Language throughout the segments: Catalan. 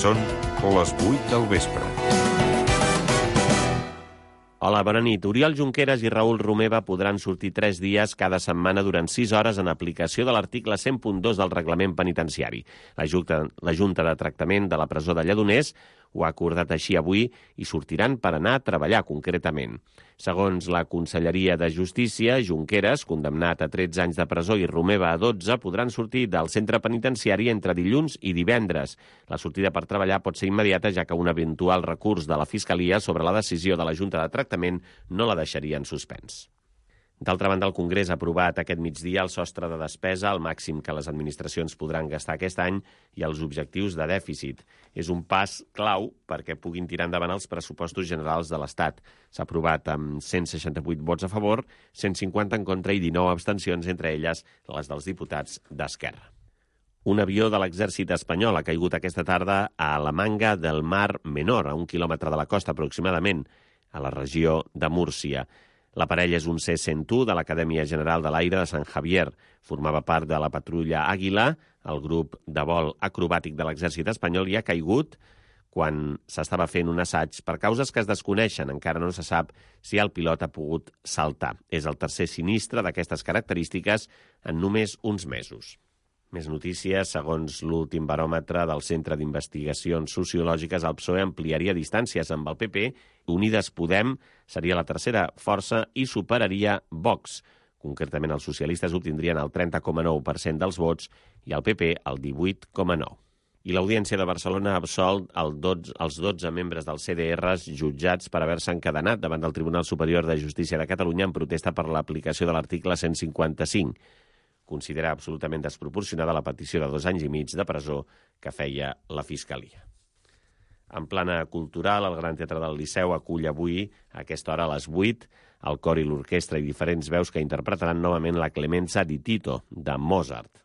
Són les 8 del vespre. Hola, bona nit. Oriol Junqueras i Raül Romeva podran sortir 3 dies cada setmana durant 6 hores en aplicació de l'article 100.2 del reglament penitenciari. La Junta de Tractament de la presó de Lledoners ho ha acordat així avui i sortiran per anar a treballar concretament. Segons la Conselleria de Justícia, Junqueras, condemnat a 13 anys de presó, i Romeva a 12, podran sortir del centre penitenciari entre dilluns i divendres. La sortida per treballar pot ser immediata, ja que un eventual recurs de la Fiscalia sobre la decisió de la Junta de Tractament no la deixaria en suspens. D'altra banda, el Congrés ha aprovat aquest migdia el sostre de despesa, el màxim que les administracions podran gastar aquest any, i els objectius de dèficit. És un pas clau perquè puguin tirar endavant els pressupostos generals de l'Estat. S'ha aprovat amb 168 vots a favor, 150 en contra i 19 abstencions, entre elles les dels diputats d'Esquerra. Un avió de l'exèrcit espanyol ha caigut aquesta tarda a la Manga del Mar Menor, a 1 quilòmetre de la costa aproximadament, a la regió de Múrcia. L'aparell és un C-101 de l'Acadèmia General de l'Aire de Sant Javier. Formava part de la patrulla Àguila, el grup de vol acrobàtic de l'exèrcit espanyol, i ha caigut quan s'estava fent un assaig. Per causes que es desconeixen, encara no se sap si el pilot ha pogut saltar. És el tercer sinistre d'aquestes característiques en només uns mesos. Més notícies. Segons l'últim baròmetre del Centre d'Investigacions Sociològiques, el PSOE ampliaria distàncies amb el PP, Unides Podem seria la tercera força i superaria Vox. Concretament, els socialistes obtindrien el 30,9% dels vots i el PP el 18,9%. I l'Audiència de Barcelona ha absolt els 12 membres dels CDRs jutjats per haver-se encadenat davant del Tribunal Superior de Justícia de Catalunya en protesta per l'aplicació de l'article 155. Considera absolutament desproporcionada la petició de 2 anys i mig de presó que feia la Fiscalia. En plana cultural, el Gran Teatre del Liceu acull avui, a aquesta hora a les 8, el cor i l'orquestra i diferents veus que interpretaran novament la Clemenza di Tito, de Mozart.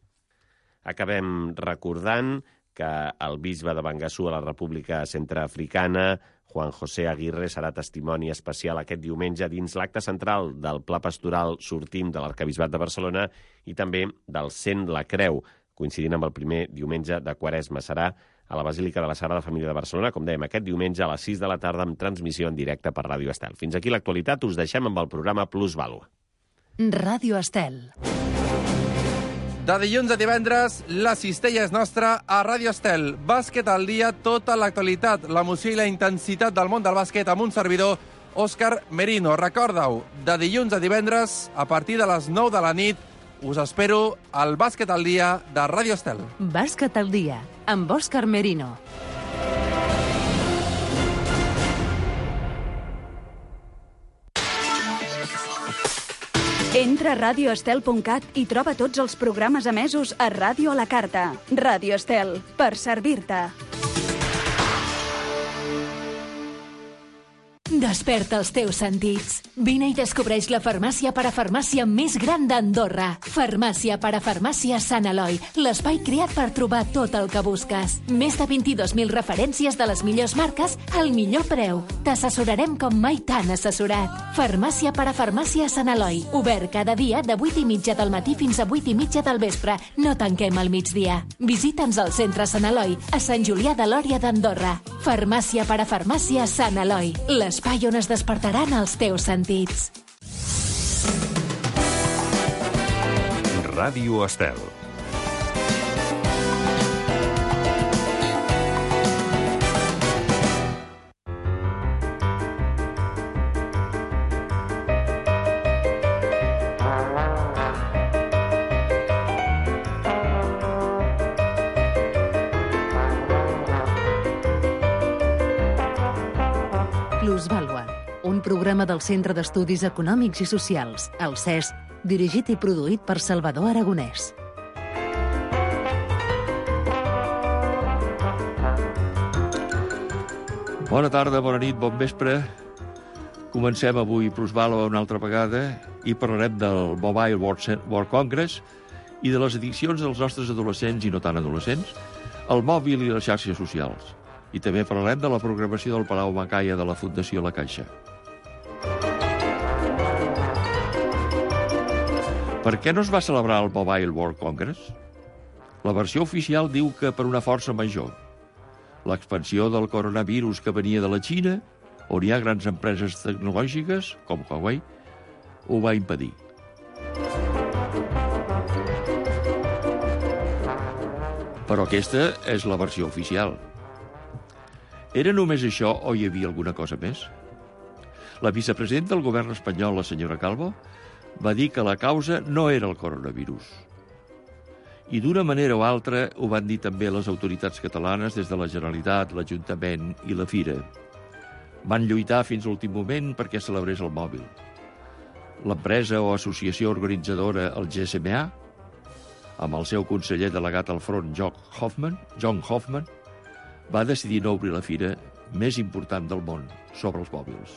Acabem recordant que el bisbe de Bangassou a la República Centreafricana, Juan José Aguirre, serà testimoni especial aquest diumenge dins l'acte central del Pla Pastoral Sortim de l'Arquebisbat de Barcelona i també del Cent la Creu, coincidint amb el primer diumenge de Quaresma. Serà a la Basílica de la Sagrada Família de Barcelona, com dèiem, aquest diumenge a les 6 de la tarda amb transmissió en directe per Ràdio Estel. Fins aquí l'actualitat, us deixem amb el programa Plus Vàlua. Ràdio Estel. De dilluns a divendres, la cistella és nostra a Ràdio Estel. Bàsquet al dia, tota l'actualitat, l'emoció i la intensitat del món del bàsquet amb un servidor, Òscar Merino. Recorda-ho, de dilluns a divendres, a partir de les 9 de la nit, us espero al Bàsquet al dia de Ràdio Estel. Bàsquet al dia, amb Òscar Merino. Entra a radioestel.cat i troba tots els programes emesos a Ràdio a la Carta. Ràdio Estel, per servir-te. Desperta els teus sentits. Vine i descobreix la farmàcia parafarmàcia més gran d'Andorra. Farmàcia parafarmàcia Sant Eloi, l'espai creat per trobar tot el que busques. Més de 22.000 referències de les millors marques al millor preu. T'assessorarem com mai t'han assessorat. Farmàcia parafarmàcia Sant Eloi, obert cada dia de 8:30 del matí fins a 8:30 del vespre. No tanquem al migdia. Visita'ns al centre Sant Eloi, a Sant Julià de Lòria d'Andorra. Farmàcia parafarmàcia Sant Eloi, l'espai on es despertaran els teus sentits. Ràdio Estel. Plusvàlua, un programa del Centre d'Estudis Econòmics i Socials, el CES, dirigit i produït per Salvador Aragonès. Bona tarda, bona nit, bon vespre. Comencem avui Plusvàlua una altra vegada i parlarem del Mobile World Congress i de les addiccions dels nostres adolescents i no tan adolescents, el mòbil i les xarxes socials. I també parlarem de la programació del Palau Macaya de la Fundació La Caixa. Per què no es va celebrar el Mobile World Congress? La versió oficial diu que per una força major. L'expansió del coronavirus que venia de la Xina, on hi ha grans empreses tecnològiques, com Huawei, ho va impedir. Però aquesta és la versió oficial. Era només això o hi havia alguna cosa més? La vicepresidenta del govern espanyol, la senyora Calvo, va dir que la causa no era el coronavirus. I d'una manera o altra ho van dir també les autoritats catalanes des de la Generalitat, l'Ajuntament i la Fira. Van lluitar fins a l'últim moment perquè celebrés el mòbil. L'empresa o associació organitzadora, el GSMA, amb el seu conseller delegat al front, John Hoffman, va decidir no obrir la fira més important del món sobre els mòbils.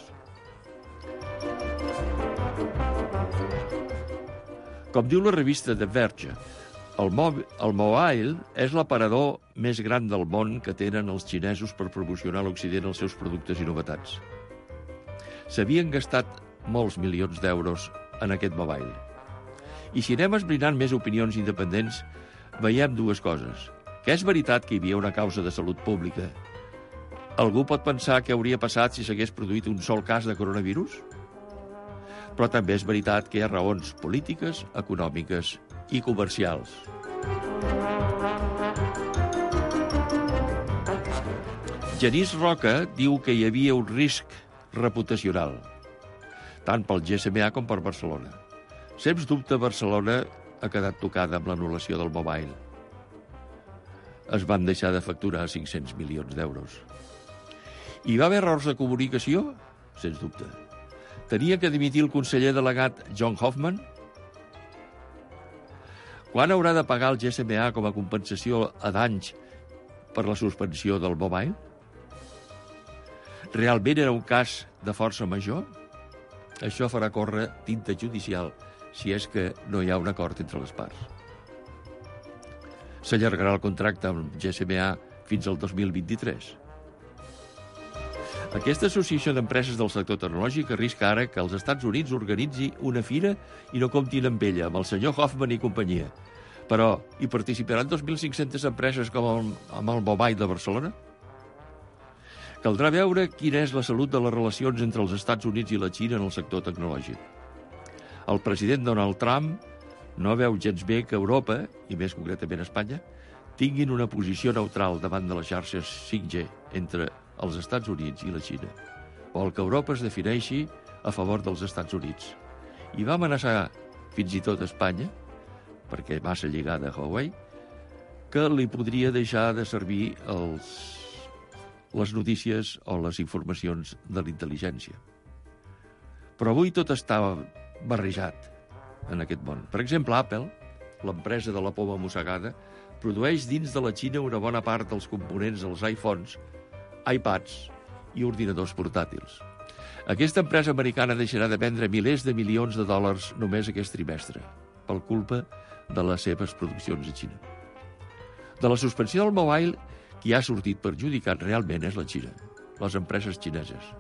Com diu la revista The Verge, el mobile és l'aparador més gran del món que tenen els xinesos per promocionar a l'Occident els seus productes i novetats. S'havien gastat molts milions d'euros en aquest mobile. I si anem esbrinant més opinions independents, veiem dues coses. Que és veritat que hi havia una causa de salut pública. Algú pot pensar què hauria passat si s'hagués produït un sol cas de coronavirus? Però també és veritat que hi ha raons polítiques, econòmiques i comercials. Genís Roca diu que hi havia un risc reputacional, tant pel GSMA com per Barcelona. Sens dubte, Barcelona ha quedat tocada amb l'anul·lació del mobile. Es van deixar de facturar 500 milions d'euros. Hi va haver errors de comunicació? Sens dubte. Tenia que dimitir el conseller delegat John Hoffman? Quan haurà de pagar el GSMA com a compensació a danys per la suspensió del mobile? Realment era un cas de força major? Això farà córrer tinta judicial si és que no hi ha un acord entre les parts. S'allargarà el contracte amb GSMA fins al 2023. Aquesta associació d'empreses del sector tecnològic arrisca ara que els Estats Units organitzi una fira i no comptin amb ella, amb el senyor Hoffman i companyia. Però hi participaran 2.500 empreses com amb el Mobile de Barcelona? Caldrà veure quina és la salut de les relacions entre els Estats Units i la Xina en el sector tecnològic. El president Donald Trump no veu gens bé que Europa, i més concretament Espanya, tinguin una posició neutral davant de les xarxes 5G entre els Estats Units i la Xina, o el que Europa es defineixi a favor dels Estats Units. I va amenaçar fins i tot Espanya, perquè massa lligada a Huawei, que li podria deixar de servir les notícies o les informacions de l'intel·ligència. Però avui tot està barrejat en aquest món. Per exemple, Apple, l'empresa de la poma mossegada, produeix dins de la Xina una bona part dels components dels iPhones, iPads i ordinadors portàtils. Aquesta empresa americana deixarà de vendre milers de milions de dòlars només aquest trimestre, per culpa de les seves produccions a Xina. De la suspensió del mobile, qui ha sortit perjudicat realment és la Xina, les empreses xineses.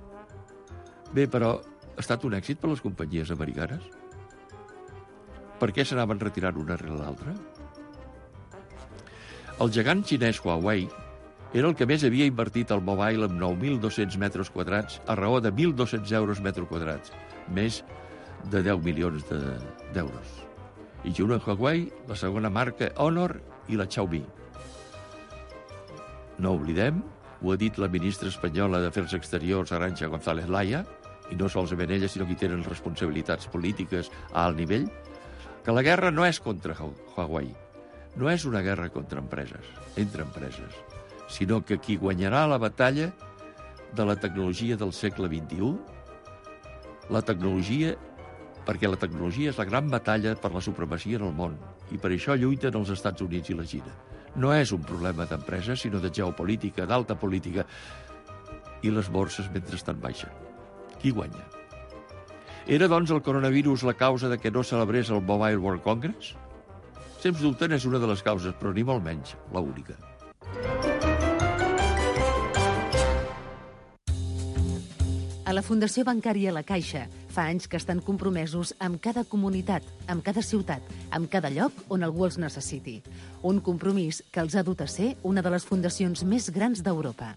Bé, però ha estat un èxit per les companyies americanes? Per què s'anaven retirant una rere l'altra? El gegant xinès Huawei era el que més havia invertit al mobile amb 9.200 metres quadrats a raó de 1.200 euros metre quadrats, més de 10 milions d'euros. I junt amb Huawei, la segona marca Honor i la Xiaomi. No oblidem, ho ha dit la ministra espanyola d'Afers Exteriors, Arantxa González Laya, i no solament ella, sinó que hi tenen responsabilitats polítiques a alt nivell, que la guerra no és contra Huawei, no és una guerra contra empreses, entre empreses, sinó que qui guanyarà la batalla de la tecnologia del segle XXI, perquè la tecnologia és la gran batalla per la supremacia en el món, i per això lluiten els Estats Units i la Xina. No és un problema d'empreses, sinó de geopolítica, d'alta política, i les borses mentrestant baixen. Qui guanya? Era, doncs, el coronavirus la causa de que no celebrés el Mobile World Congress? Sens dubte n'és una de les causes, però ni molt menys l'única. A la Fundació Bancària La Caixa Fa anys que estan compromesos amb cada comunitat, amb cada ciutat, amb cada lloc on algú els necessiti. Un compromís que els ha dut a ser una de les fundacions més grans d'Europa.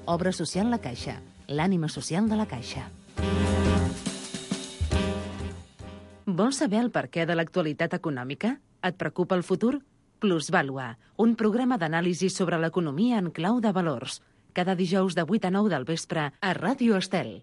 Obra Social La Caixa, l'ànima social de la Caixa. Vols saber el perquè de l'actualitat econòmica? Et preocupa el futur? Plusvàlua, un programa d'anàlisi sobre l'economia en clau de valors. Cada dijous de 8 a 9 del vespre a Ràdio Estel.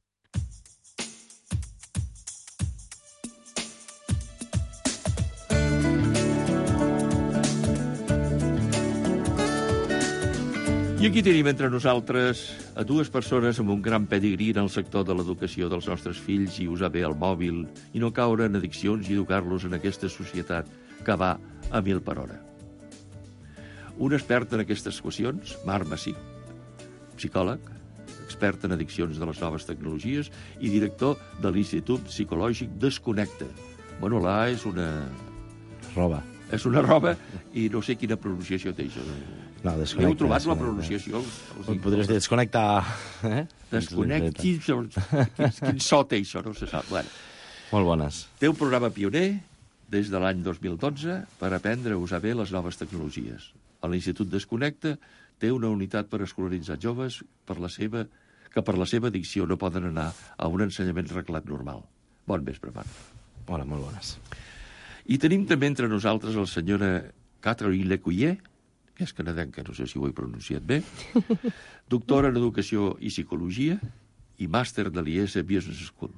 I aquí tenim entre nosaltres a dues persones amb un gran pedigrí en el sector de l'educació dels nostres fills i usar bé el mòbil i no caure en addiccions i educar-los en aquesta societat que va a 1000 per hora. Un expert en aquestes qüestions, Marc Massip, psicòleg, expert en addiccions de les noves tecnologies i director de l'Institut Psicològic Desconnecta. Bueno, la és una... Roba. És una roba i no sé quina pronunciació té això. No, desconnecta. Heu trobat la pronunciació? Podries dir desconnectar... Desconnecti... Quin so té això? No se sap. Bueno. Molt bones. Té un programa pioner des de l'any 2012 per aprendre a usar bé les noves tecnologies. A l'Institut Desconnecta té una unitat per escolaritzar joves que per la seva addicció no poden anar a un ensenyament reglat normal. Bon vespre, Marc. Hola, molt bones. I tenim també entre nosaltres la senyora Catherine Lecuyer, que és canadenca, no sé si ho he pronunciat bé, doctora en Educació i Psicologia i màster de l'IES Business School.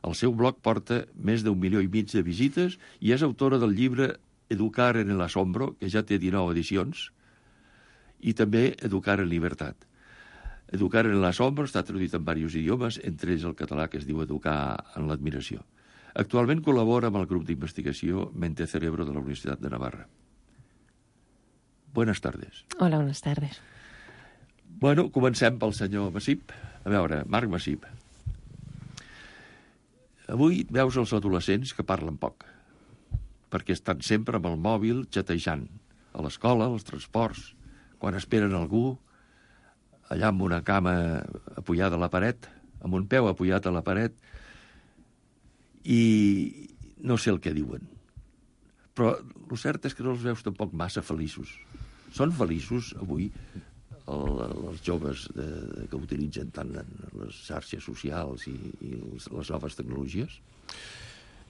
El seu blog porta més d'1,5 milió de visites i és autora del llibre Educar en el asombro, que ja té 19 edicions, i també Educar en libertat. Educar en el asombro està traduït en diversos idiomes, entre ells el català, que es diu Educar en l'admiració. Actualment col·labora amb el grup d'investigació Mente Cerebro de la Universitat de Navarra. Buenas tardes. Hola, buenas tardes. Bueno, comencem pel senyor Massip. A veure, Marc Massip. Avui veus els adolescents que parlen poc, perquè estan sempre amb el mòbil xatejant, a l'escola, als transports, quan esperen algú, allà amb una cama apoyada a la paret, amb un peu apoyat a la paret, i no sé el que diuen. Però el cert és que no els veus tampoc massa feliços. Són feliços avui els joves que utilitzen tant les xarxes socials i les noves tecnologies?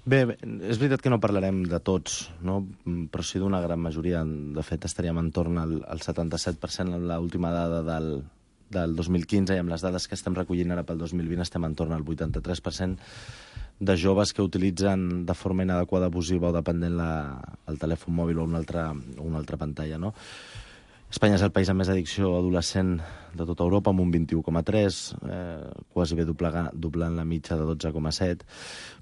Bé, és veritat que no parlarem de tots, no? Però sí d'una gran majoria. De fet, estaríem entorn al 77% en l'última dada del 2015 i amb les dades que estem recollint ara pel 2020 estem entorn al 83% de joves que utilitzen de forma inadequada, abusiva o dependent el telèfon mòbil o una altra pantalla, no? Espanya és el país amb més addicció adolescent de tota Europa, amb un 21,3, quasi bé doblant la mitja de 12,7.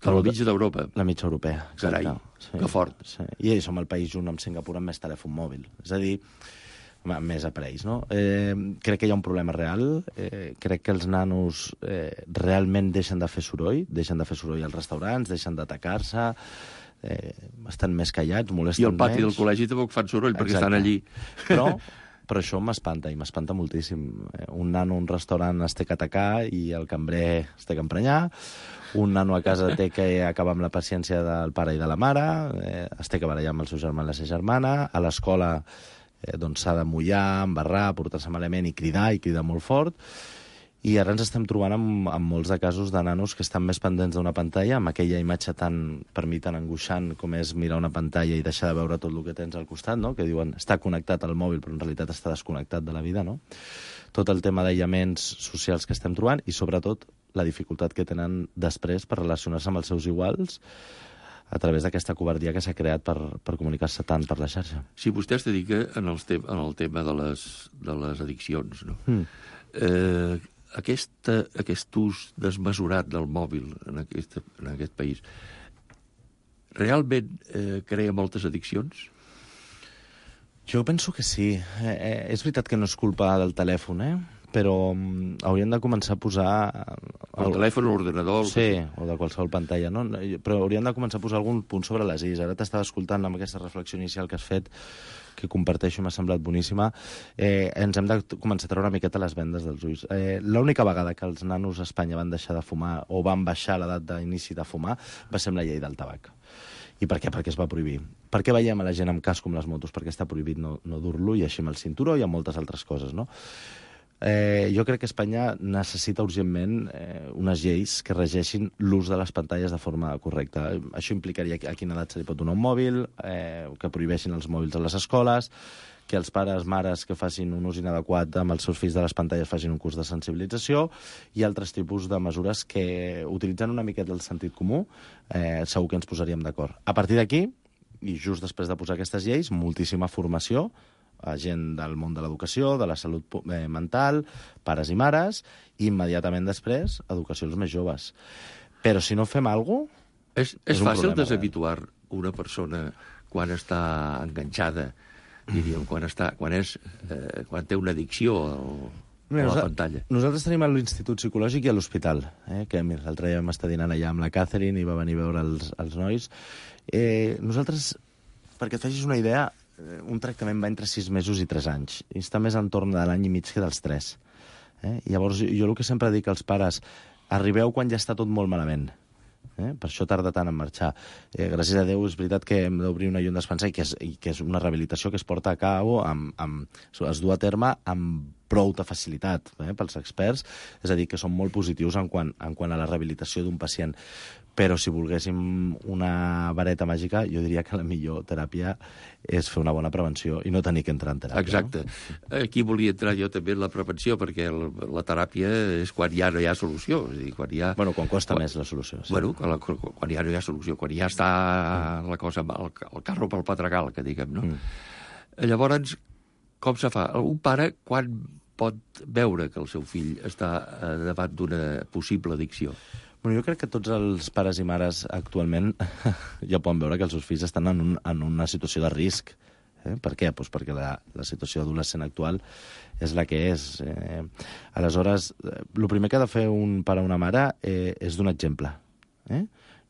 Però la mitja d'Europa? La mitja europea, exacte. Carai, sí, que fort. Sí. I som el país junt amb Singapur amb més telèfon mòbil. És a dir, més aparells, no? Crec que hi ha un problema real. Crec que els nanos realment deixen de fer soroll als restaurants, deixen d'atacar-se, estan més callats, molesten menys. I al pati del col·legi tampoc fan soroll, perquè estan allí. Però això m'espanta, i m'espanta moltíssim. Un nano a un restaurant es té que atacar i el cambrer es té que emprenyar. Un nano a casa té que acabar amb la paciència del pare i de la mare, es té que barallar amb el seu germà i la seva germana. A l'escola s'ha de mullar, embarrar, portar-se malament i cridar molt fort. I ara ens estem trobant amb molts de casos de nanos que estan més pendents d'una pantalla, amb aquella imatge per mi tan angoixant com és mirar una pantalla i deixar de veure tot el que tens al costat, no? Que diuen està connectat al mòbil però en realitat està desconnectat de la vida, no? Tot el tema d'aïllaments socials que estem trobant i sobretot la dificultat que tenen després per relacionar-se amb els seus iguals a través d'aquesta covardia que s'ha creat per comunicar-se tant per la xarxa. Si vostè es dedica en el tema de les addiccions, no? Aquest ús desmesurat del mòbil en aquest país realment crea moltes addiccions? Jo penso que sí. És veritat que no és culpa del telèfon, però hauríem de començar a posar... El telèfon, l'ordenador... Sí, o de qualsevol pantalla, no? Però hauríem de començar a posar algun punt sobre les is. Ara t'estava escoltant amb aquesta reflexió inicial que has fet, que comparteixo i m'ha semblat boníssima. Ens hem de començar a treure una miqueta les vendes dels ulls. L'única vegada que els nanos a Espanya van deixar de fumar o van baixar l'edat d'inici de fumar va ser amb la llei del tabac. I per què? Perquè es va prohibir. Per què veiem a la gent amb casc com les motos? Perquè està prohibit no dur-lo, i així amb el cinturó i amb moltes altres coses, no? Jo crec que Espanya necessita urgentment unes lleis que regeixin l'ús de les pantalles de forma correcta. Això implicaria a quina edat se li pot donar un mòbil, que prohibeixin els mòbils a les escoles, que els pares, mares que facin un ús inadequat amb els seus fills de les pantalles facin un curs de sensibilització i altres tipus de mesures que, utilitzant una miqueta el sentit comú, segur que ens posaríem d'acord. A partir d'aquí, i just després de posar aquestes lleis, moltíssima formació a gent del món de l'educació, de la salut mental, pares i mares, i immediatament després, educació als més joves. Però si no fem alguna cosa... És fàcil deshabituar una persona quan està enganxada, diríem, quan té una addicció a la pantalla. Nosaltres tenim a l'Institut Psicològic i a l'Hospital, que l'altre dia vam estar dinant allà amb la Catherine i va venir a veure els nois. Nosaltres, perquè et facis una idea, un tractament va entre 6 mesos i 3 anys. I està més entorn de l'any i mig que dels 3. Llavors, jo el que sempre dic als pares, arribeu quan ja està tot molt malament. Per això tarda tant en marxar. Gràcies a Déu, és veritat que hem d'obrir una llum d'espansa i que és una rehabilitació que es porta a cabo, es du a terme amb prou de facilitat pels experts, és a dir, que són molt positius en quant a la rehabilitació d'un pacient. Però si volguéssim una vareta màgica, jo diria que la millor teràpia és fer una bona prevenció i no tenir que entrar en teràpia. Exacte. No? Aquí volia entrar jo també en la prevenció, perquè la teràpia és quan ja no hi ha solució. És a dir, quan costa més la solució. Sí. Bueno, quan ja no hi ha solució, quan ja està la cosa, el carro pel pedregal, que diguem, no? Llavors, com se fa? Un pare, quan pot veure que el seu fill està davant d'una possible addicció? Jo crec que tots els pares i mares actualment ja poden veure que els seus fills estan en una situació de risc. Per què? Doncs perquè la situació adolescent actual és la que és. Aleshores, el primer que ha de fer un pare o una mare és donar exemple.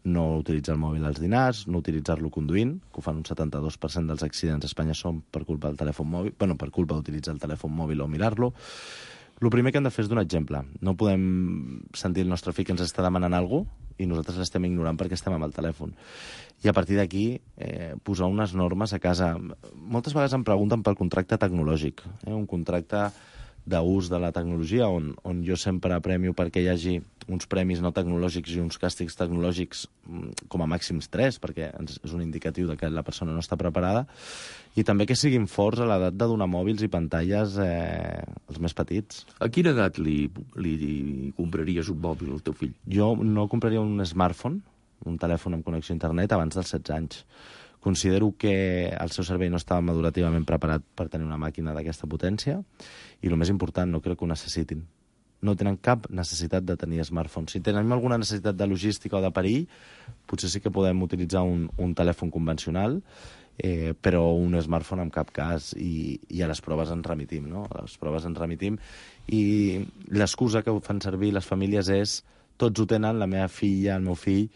No utilitzar el mòbil als dinars, no utilitzar-lo conduint, que ho fan un 72% dels accidents a Espanya són per culpa del telèfon mòbil, per culpa d'utilitzar el telèfon mòbil o mirar-lo. El primer que hem de fer és donar exemple. No podem sentir el nostre fill que ens està demanant alguna cosa i nosaltres l'estem ignorant perquè estem amb el telèfon. I a partir d'aquí, posar unes normes a casa. Moltes vegades em pregunten pel contracte tecnològic, un contracte d'ús de la tecnologia, on jo sempre premio perquè hi hagi uns premis no tecnològics i uns càstigs tecnològics com a màxims 3, perquè és un indicatiu de que la persona no està preparada, i també que siguin forts a l'edat de donar mòbils i pantalles als més petits. A quina edat li compraries un mòbil al teu fill? Jo no compraria un smartphone, un telèfon amb connexió a internet, abans dels 16 anys. Considero que el seu cervell no estava madurativament preparat per tenir una màquina d'aquesta potència i, el més important, no crec que ho necessitin. No tenen cap necessitat de tenir smartphones. Si tenim alguna necessitat de logística o de perill, potser sí que podem utilitzar un telèfon convencional, però un smartphone en cap cas, i a les proves ens remitim, no? A les proves ens remitim, i l'excusa que fan servir les famílies és tots ho tenen, la meva filla, el meu fill,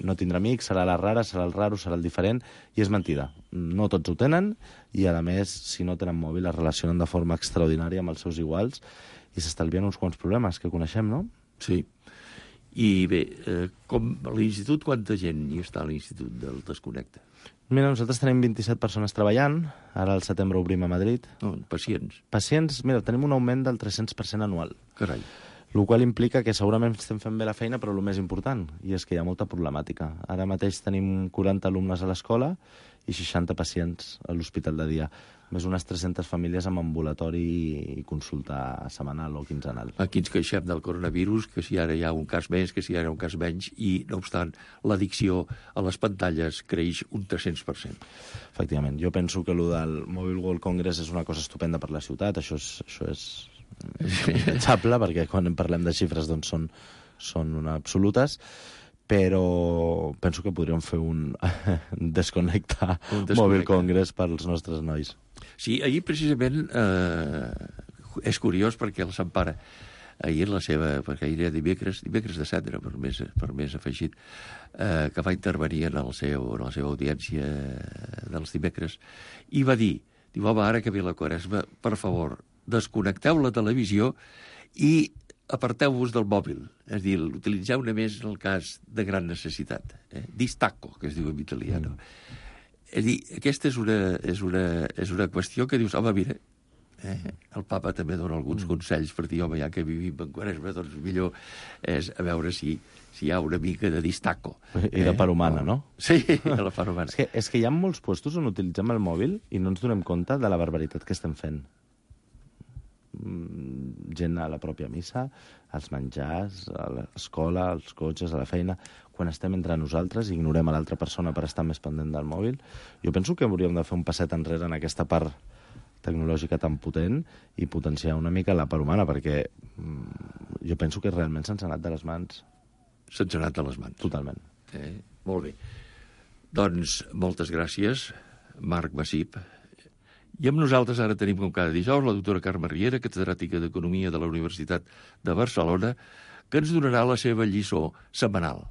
no tindrà amics, serà la rara, serà el raro, serà el diferent, i és mentida. No tots ho tenen, i a més, si no tenen mòbil, es relacionen de forma extraordinària amb els seus iguals i s'estalvien uns quants problemes que coneixem, no? Sí. I bé, com a l'institut, quanta gent hi està a l'institut del Desconnecta? Mira, nosaltres tenim 27 persones treballant, ara al setembre obrim a Madrid. Pacients? Pacients, mira, tenim un augment del 300% anual. Carai. El qual implica que segurament estem fent bé la feina, però el més important, i és que hi ha molta problemàtica. Ara mateix tenim 40 alumnes a l'escola i 60 pacients a l'hospital de dia, més unes 300 famílies amb ambulatori i consulta setmanal o quinzenal. Aquí ens queixem del coronavirus, que si ara hi ha un cas més, que si ara hi ha un cas menys, i, no obstant, l'addicció a les pantalles creix un 300%. Efectivament. Jo penso que el del Mobile World Congress és una cosa estupenda per la ciutat, això és impensable, perquè quan parlem de xifres doncs són absolutes, però penso que podríem fer un Desconnecta Mobile Congress pels nostres nois. Sí, ahir precisament és curiós perquè el Sant Pare, ahir la seva, perquè ahir era dimecres de cendra, per més afegit, que va intervenir en la seva audiència dels dimecres, i va dir, home, ara que ve la Quaresma, per favor, desconnecteu la televisió i aparteu-vos del mòbil. És a dir, utilitzeu-ne més en el cas de gran necessitat. Distacco, que es diu en italià. És a dir, aquesta és una qüestió que dius, home, mira, el papa també dona alguns consells per dir, home, ja que vivim en Quaresma, doncs millor és a veure si hi ha una mica de distacco. I de part humana, no? Sí, de la part humana. És que hi ha molts puestos on utilitzem el mòbil i no ens donem compte de la barbaritat que estem fent. Gent a la pròpia missa, als menjars, a l'escola, als cotxes, a la feina. Quan estem entre nosaltres i ignorem a l'altra persona per estar més pendent del mòbil. Jo penso que hauríem de fer un passet enrere en aquesta part tecnològica tan potent i potenciar una mica la part humana, perquè jo penso que realment se'ns ha anat de les mans. Se'ns ha anat de les mans. Totalment. Molt bé. Doncs moltes gràcies, Marc Massip. I amb nosaltres ara tenim, com cada dijous, la doctora Carme Riera, catedràtica d'Economia de la Universitat de Barcelona, que ens donarà la seva lliçó setmanal.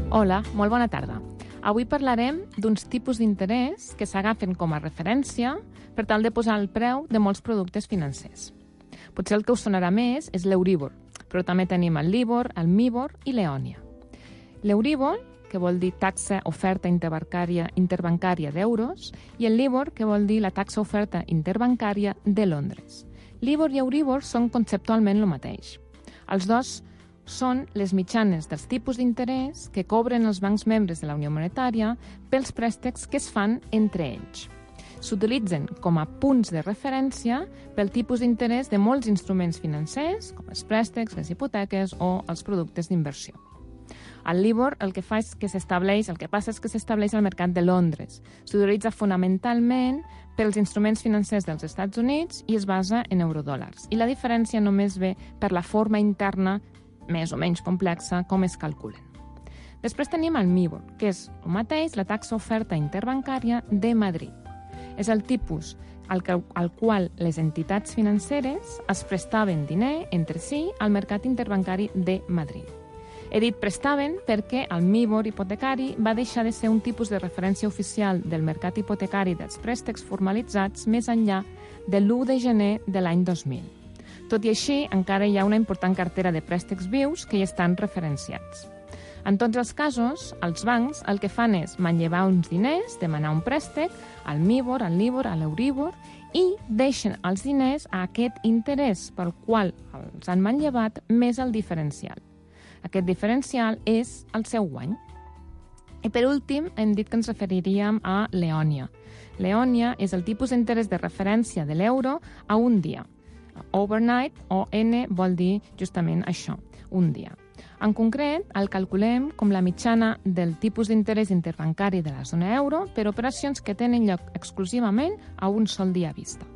Hola, molt bona tarda. Avui parlarem d'uns tipus d'interès que s'agafen com a referència per tal de posar el preu de molts productes financers. Potser el que us sonarà més és l'Euríbor, però també tenim el Libor, el Mibor i l'Eònia. L'Euríbor, que vol dir taxa oferta interbancària d'euros, i el Libor, que vol dir la taxa oferta interbancària de Londres. Libor i Euríbor són conceptualment el mateix. Els dos són les mitjanes dels tipus d'interès que cobren els bancs membres de la Unió Monetària pels préstecs que es fan entre ells. S'utilitzen com a punts de referència pel tipus d'interès de molts instruments financers, com els préstecs, les hipoteques o els productes d'inversió. El Libor el que passa és que s'estableix al mercat de Londres. S'utilitza fonamentalment pels instruments financers dels Estats Units i es basa en eurodòlars. I la diferència només ve per la forma interna més o menys complexa com es calculen. Després tenim el Mibor, que és el mateix, la taxa oferta interbancària de Madrid. És el tipus al qual les entitats financeres es prestaven diner entre si al mercat interbancari de Madrid. He dit prestaven perquè el Mibor hipotecari va deixar de ser un tipus de referència oficial del mercat hipotecari dels préstecs formalitzats més enllà de l'1 de gener de l'any 2000. Tot i així, encara hi ha una important cartera de préstecs vius que hi estan referenciats. En tots els casos, els bancs el que fan és manllevar uns diners, demanar un préstec, al Mibor, al Libor, a l'Euríbor, i deixen els diners a aquest interès pel qual els han manllevat més el diferencial. Aquest diferencial és el seu guany. I per últim, hem dit que ens referiríem a l'Eònia. L'Eònia és el tipus d'interès de referència de l'euro a un dia. Overnight, o N, vol dir justament això, un dia. En concret, el calculem com la mitjana del tipus d'interès interbancari de la zona euro per operacions que tenen lloc exclusivament a un sol dia vista.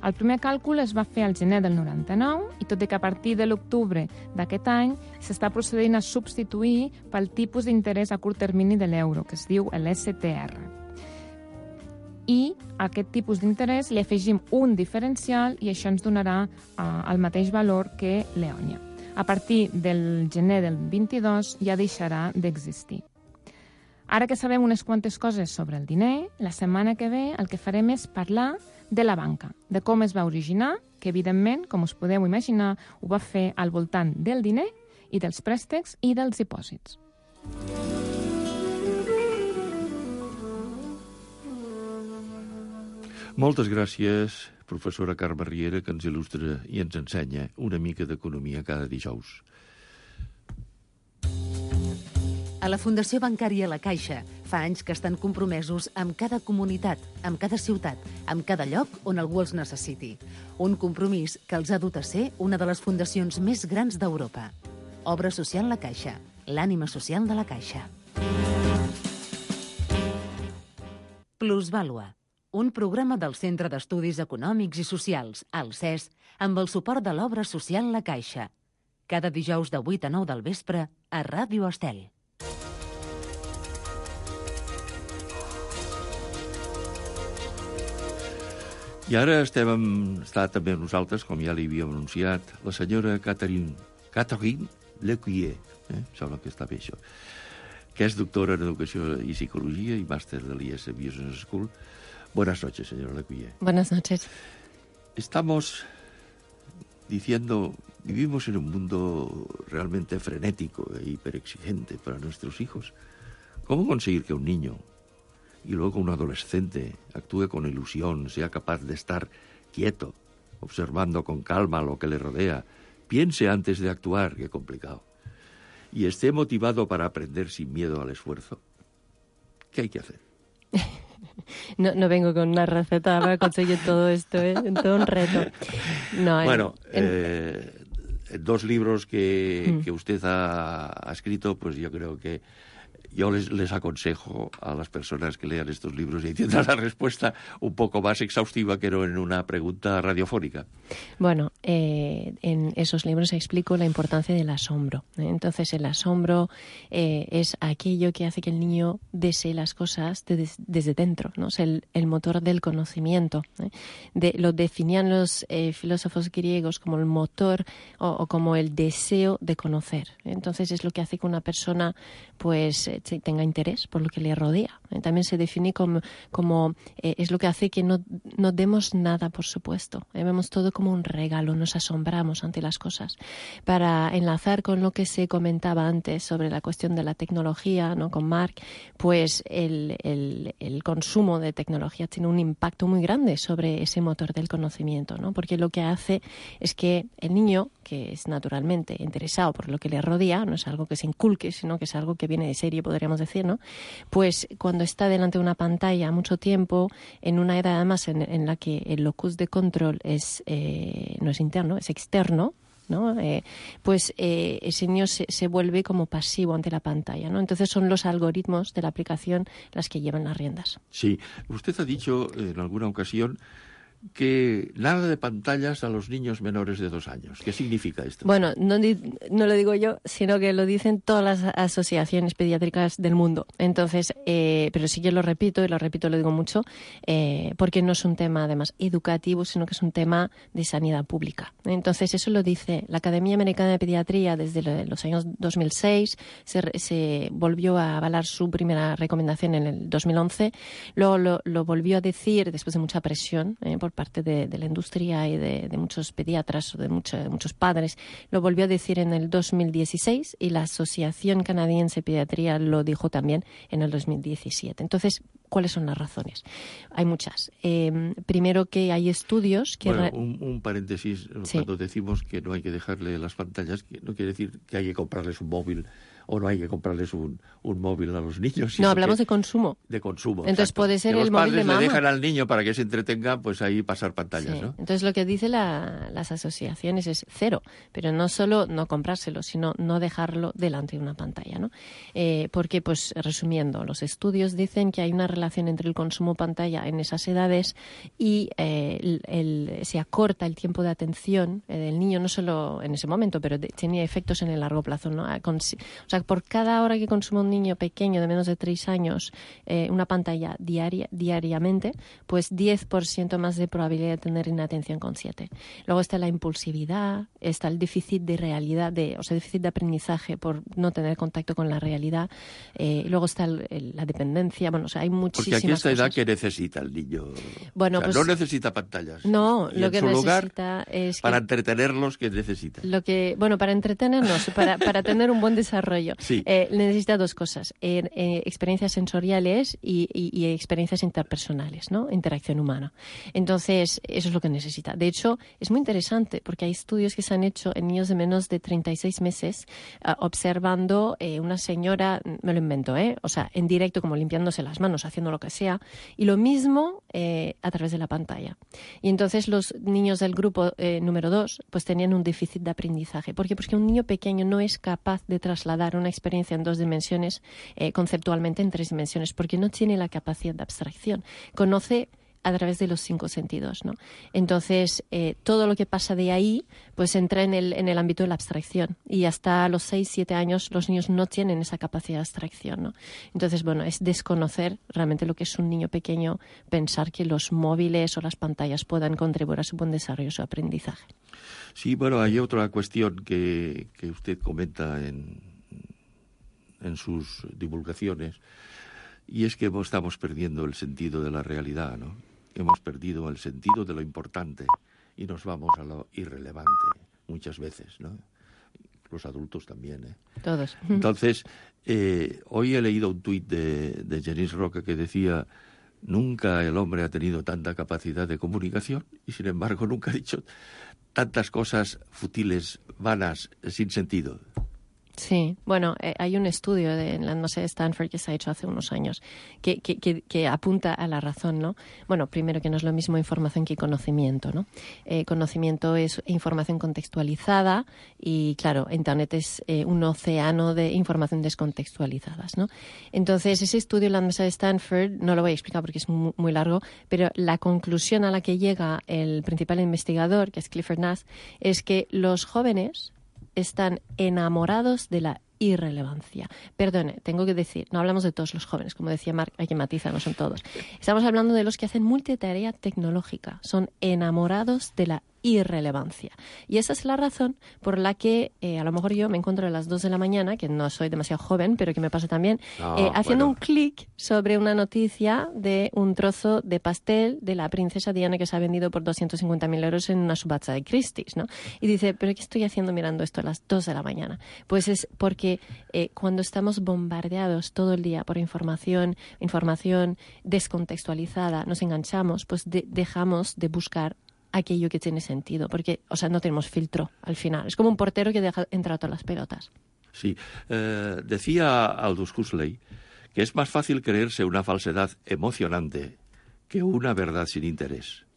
El primer càlcul es va fer al gener del 99 i tot i que a partir de l'octubre d'aquest any s'està procedint a substituir pel tipus d'interès a curt termini de l'euro, que es diu l'STR. I a aquest tipus d'interès li afegim un diferencial i això ens donarà el mateix valor que l'Eònia. A partir del gener del 22 ja deixarà d'existir. Ara que sabem unes quantes coses sobre el diner, la setmana que ve el que farem és parlar de la banca, de com es va originar, que evidentment, com us podeu imaginar, ho va fer al voltant del diner i dels préstecs i dels dipòsits. Moltes gràcies, professora Carme Riera, que ens il·lustra i ens ensenya una mica d'economia cada dijous. A la Fundació Bancària La Caixa fa anys que estan compromesos amb cada comunitat, amb cada ciutat, amb cada lloc on algú els necessiti. Un compromís que els ha dut a ser una de les fundacions més grans d'Europa. Obra Social La Caixa, l'ànima social de la Caixa. Plusvàlua, un programa del Centre d'Estudis Econòmics i Socials, el CES, amb el suport de l'Obra Social La Caixa. Cada dijous de 8 a 9 del vespre a Ràdio Estel. I ara està també amb nosaltres, com ja li havíem anunciat, la senyora Catherine Lecuyer, sembla que està bé això, que es doctora en Educació y Psicología y máster del IES Business School. Buenas noches, señora Lecuyer. Buenas noches. Estamos diciendo, vivimos en un mundo realmente frenético e hiperexigente para nuestros hijos. ¿Cómo conseguir que un niño y luego un adolescente actúe con ilusión, sea capaz de estar quieto, observando con calma lo que le rodea, piense antes de actuar, qué complicado, y esté motivado para aprender sin miedo al esfuerzo? ¿Qué hay que hacer? No vengo con una receta para conseguir todo esto, todo un reto. No, bueno, dos libros que usted ha escrito, pues yo creo que yo les aconsejo a las personas que lean estos libros y tendrán la respuesta un poco más exhaustiva que no en una pregunta radiofónica. Bueno, en esos libros explico la importancia del asombro. Entonces, el asombro es aquello que hace que el niño desee las cosas desde dentro, ¿no? Es el motor del conocimiento. Lo definían los filósofos griegos como el motor o como el deseo de conocer. Entonces, es lo que hace que una persona pues tenga interés por lo que le rodea. También se define como es lo que hace que no demos nada por supuesto. Vemos todo como un regalo, nos asombramos ante las cosas. Para enlazar con lo que se comentaba antes sobre la cuestión de la tecnología, ¿no? Con Marc, pues el consumo de tecnología tiene un impacto muy grande sobre ese motor del conocimiento, ¿no? Porque lo que hace es que el niño, que es naturalmente interesado por lo que le rodea, no es algo que se inculque, sino que es algo que viene de serie, podríamos decir, ¿no? Pues cuando está delante de una pantalla mucho tiempo, en una edad además en la que el locus de control no es interno, es externo, ¿no? Pues ese niño se vuelve como pasivo ante la pantalla, ¿no? Entonces son los algoritmos de la aplicación las que llevan las riendas. Sí, usted ha dicho en alguna ocasión que nada de pantallas a los niños menores de 2 años. ¿Qué significa esto? Bueno, no lo digo yo, sino que lo dicen todas las asociaciones pediátricas del mundo. Entonces, pero sí que lo repito, lo digo mucho, porque no es un tema además educativo, sino que es un tema de sanidad pública. Entonces, eso lo dice la Academia Americana de Pediatría desde los años 2006, se volvió a avalar su primera recomendación en el 2011, luego lo volvió a decir después de mucha presión por parte de la industria y de muchos pediatras o de muchos padres, lo volvió a decir en el 2016 y la Asociación Canadiense de Pediatría lo dijo también en el 2017. Entonces, ¿cuáles son las razones? Hay muchas. Primero que hay estudios que... Bueno, un paréntesis, sí. Cuando decimos que no hay que dejarle las pantallas, que no quiere decir que hay que comprarles un móvil o no hay que comprarles un móvil a los niños. No, hablamos de consumo. De consumo. Entonces exacto. puede ser el móvil de mamá. Los padres le dejan al niño para que se entretenga, pues ahí pasar pantallas, sí. ¿no? Entonces lo que dicen las asociaciones es 0, pero no solo no comprárselo, sino no dejarlo delante de una pantalla, ¿no? Porque, pues resumiendo, los estudios dicen que hay una relación entre el consumo pantalla en esas edades y se acorta el tiempo de atención del niño, no solo en ese momento, pero tiene efectos en el largo plazo, ¿no? O sea, por cada hora que consume un niño pequeño de menos de 3 años una pantalla diariamente, pues 10% más de probabilidad de tener inatención consciente. Luego está la impulsividad, está el déficit de realidad, déficit de aprendizaje por no tener contacto con la realidad. Luego está la dependencia. Bueno, o sea, hay muchísimas Porque aquí esta edad cosas. Que necesita el niño. Bueno, pues, no necesita pantallas. No, y lo en que su necesita lugar, es para entretenerlos, ¿qué necesita? Para entretenernos, para tener un buen desarrollo. Sí. Necesita 2 cosas, experiencias sensoriales y experiencias interpersonales, ¿no? Interacción humana. Entonces, eso es lo que necesita. De hecho, es muy interesante porque hay estudios que se han hecho en niños de menos de 36 meses observando una señora, me lo invento, o sea, en directo, como limpiándose las manos, haciendo lo que sea, y lo mismo a través de la pantalla. Y entonces los niños del grupo número 2 pues tenían un déficit de aprendizaje. ¿Por qué? Porque un niño pequeño no es capaz de trasladar una experiencia en 2 dimensiones conceptualmente en 3 dimensiones, porque no tiene la capacidad de abstracción. Conoce a través de los 5 sentidos, ¿no? Entonces, todo lo que pasa de ahí, pues entra en el ámbito de la abstracción. Y hasta los 6, 7 años los niños no tienen esa capacidad de abstracción, ¿no? Entonces, bueno, es desconocer realmente lo que es un niño pequeño, pensar que los móviles o las pantallas puedan contribuir a su buen desarrollo, su aprendizaje. Sí, bueno, hay otra cuestión que usted comenta en sus divulgaciones, y es que estamos perdiendo el sentido de la realidad, ¿no? Hemos perdido el sentido de lo importante y nos vamos a lo irrelevante muchas veces, ¿no? Los adultos también, ¿eh? Todos. Entonces, hoy he leído un tuit de Janice Roca que decía: nunca el hombre ha tenido tanta capacidad de comunicación y, sin embargo, nunca ha dicho tantas cosas fútiles, vanas, sin sentido. Sí, bueno, hay un estudio en la Universidad de Stanford que se ha hecho hace unos años que apunta a la razón, ¿no? Bueno, primero que no es lo mismo información que conocimiento, ¿no? Conocimiento es información contextualizada y, claro, Internet es un océano de información descontextualizadas, ¿no? Entonces, ese estudio en la Universidad de Stanford, no lo voy a explicar porque es muy largo, pero la conclusión a la que llega el principal investigador, que es Clifford Nass, es que los jóvenes están enamorados de la irrelevancia. Perdone, tengo que decir, no hablamos de todos los jóvenes, como decía Marc, hay que matizar, no son todos. Estamos hablando de los que hacen multitarea tecnológica, son enamorados de la irrelevancia. Y esa es la razón por la que a lo mejor yo me encuentro a las 2 de la mañana, que no soy demasiado joven, pero que me pasa también, haciendo un clic sobre una noticia de un trozo de pastel de la princesa Diana que se ha vendido por 250.000 euros en una subasta de Christie's, ¿no? Y dice, ¿pero qué estoy haciendo mirando esto a las 2 de la mañana? Pues es porque cuando estamos bombardeados todo el día por información descontextualizada, nos enganchamos, pues dejamos de buscar aquello que tiene sentido, porque, o sea, no tenemos filtro al final. Es como un portero que deja entrar todas las pelotas. Sí. Decía Aldous Huxley que es más fácil creerse una falsedad emocionante que una verdad sin interés.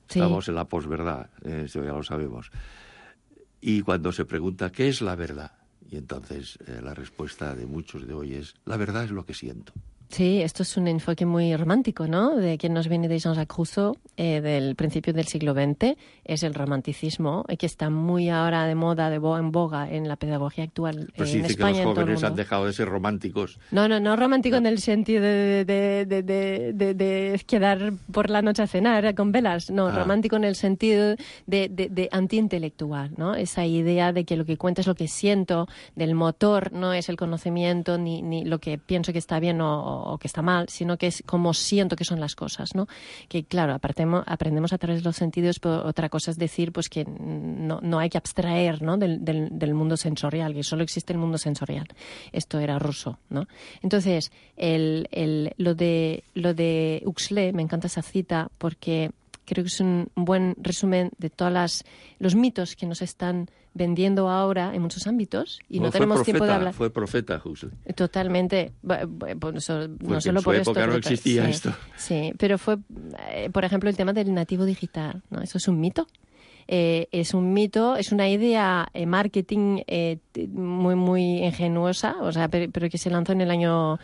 Sí. Estamos en la posverdad, esto ya lo sabemos. Y cuando se pregunta ¿qué es la verdad? Y entonces la respuesta de muchos de hoy es: la verdad es lo que siento. Sí, esto es un enfoque muy romántico, ¿no? De que nos viene de Jean-Jacques Rousseau, del principio del siglo XX. Es el romanticismo, que está muy ahora de moda, en boga en la pedagogía actual pues en dice España. Que los jóvenes han dejado de ser románticos. No romántico en el sentido de quedar por la noche a cenar con velas. No, romántico en el sentido de antiintelectual, ¿no? Esa idea de que lo que cuenta es lo que siento, del motor no es el conocimiento ni lo que pienso que está bien o que está mal, sino que es como siento que son las cosas, ¿no? Que, claro, aprendemos a través de los sentidos, pero otra cosa es decir pues que no hay que abstraer, ¿no? del mundo sensorial, que solo existe el mundo sensorial. Esto era Rousseau, ¿no? Entonces, lo de Huxley, me encanta esa cita porque creo que es un buen resumen de todos los mitos que nos están vendiendo ahora en muchos ámbitos y no tenemos tiempo de hablar. Fue profeta Huxley. Totalmente. No solo por esto. No existía esto. Sí, pero fue, por ejemplo, el tema del nativo digital, ¿no? Eso es un mito. Es un mito, es una idea marketing muy ingenuosa, o sea, pero que se lanzó en el año,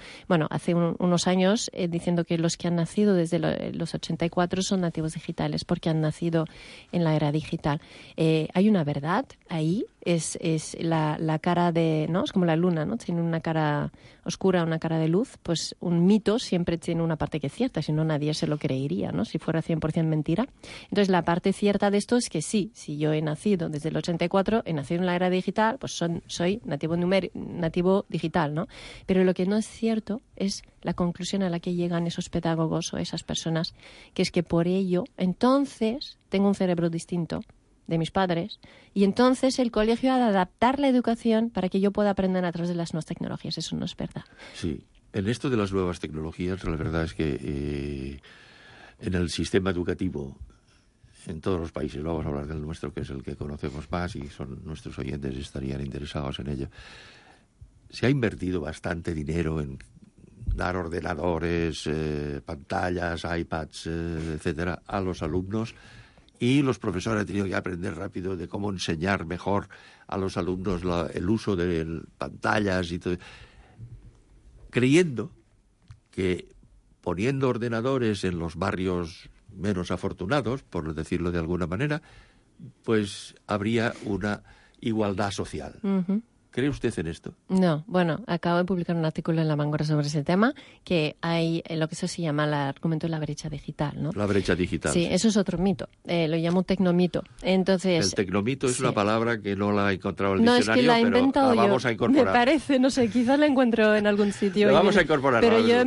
hace unos años, diciendo que los que han nacido desde los 84 son nativos digitales porque han nacido en la era digital. Hay una verdad ahí, es la cara de, ¿no? Es como la luna, ¿no? Tiene una cara oscura, una cara de luz. Pues un mito siempre tiene una parte que es cierta, si no nadie se lo creería, ¿no? Si fuera 100% mentira. Entonces la parte cierta de esto es que sí, si yo he nacido desde el 84, he nacido en la era digital, pues soy nativo digital, ¿no? Pero lo que no es cierto es la conclusión a la que llegan esos pedagogos o esas personas, que es que por ello, entonces, tengo un cerebro distinto de mis padres, y entonces el colegio ha de adaptar la educación para que yo pueda aprender a través de las nuevas tecnologías. Eso no es verdad. Sí, en esto de las nuevas tecnologías, la verdad es que en el sistema educativo, en todos los países, no vamos a hablar del nuestro, que es el que conocemos más, y son nuestros oyentes estarían interesados en ello, se ha invertido bastante dinero en dar ordenadores, pantallas, iPads, etcétera, a los alumnos. Y los profesores han tenido que aprender rápido de cómo enseñar mejor a los alumnos el uso de pantallas y todo, creyendo que poniendo ordenadores en los barrios menos afortunados, por decirlo de alguna manera, pues habría una igualdad social. ¿Cree usted en esto? No, bueno, acabo de publicar un artículo en La Vanguardia sobre ese tema, que hay lo que eso se llama el argumento de la brecha digital, ¿no? La brecha digital. Sí, eso es otro mito, lo llamo tecnomito. Entonces, el tecnomito es sí. una palabra que no la he encontrado en el no, diccionario, es que la he pero inventado la vamos yo. a incorporar. Me parece, no sé, quizás la encuentro en algún sitio. La vamos a incorporar. Pero yo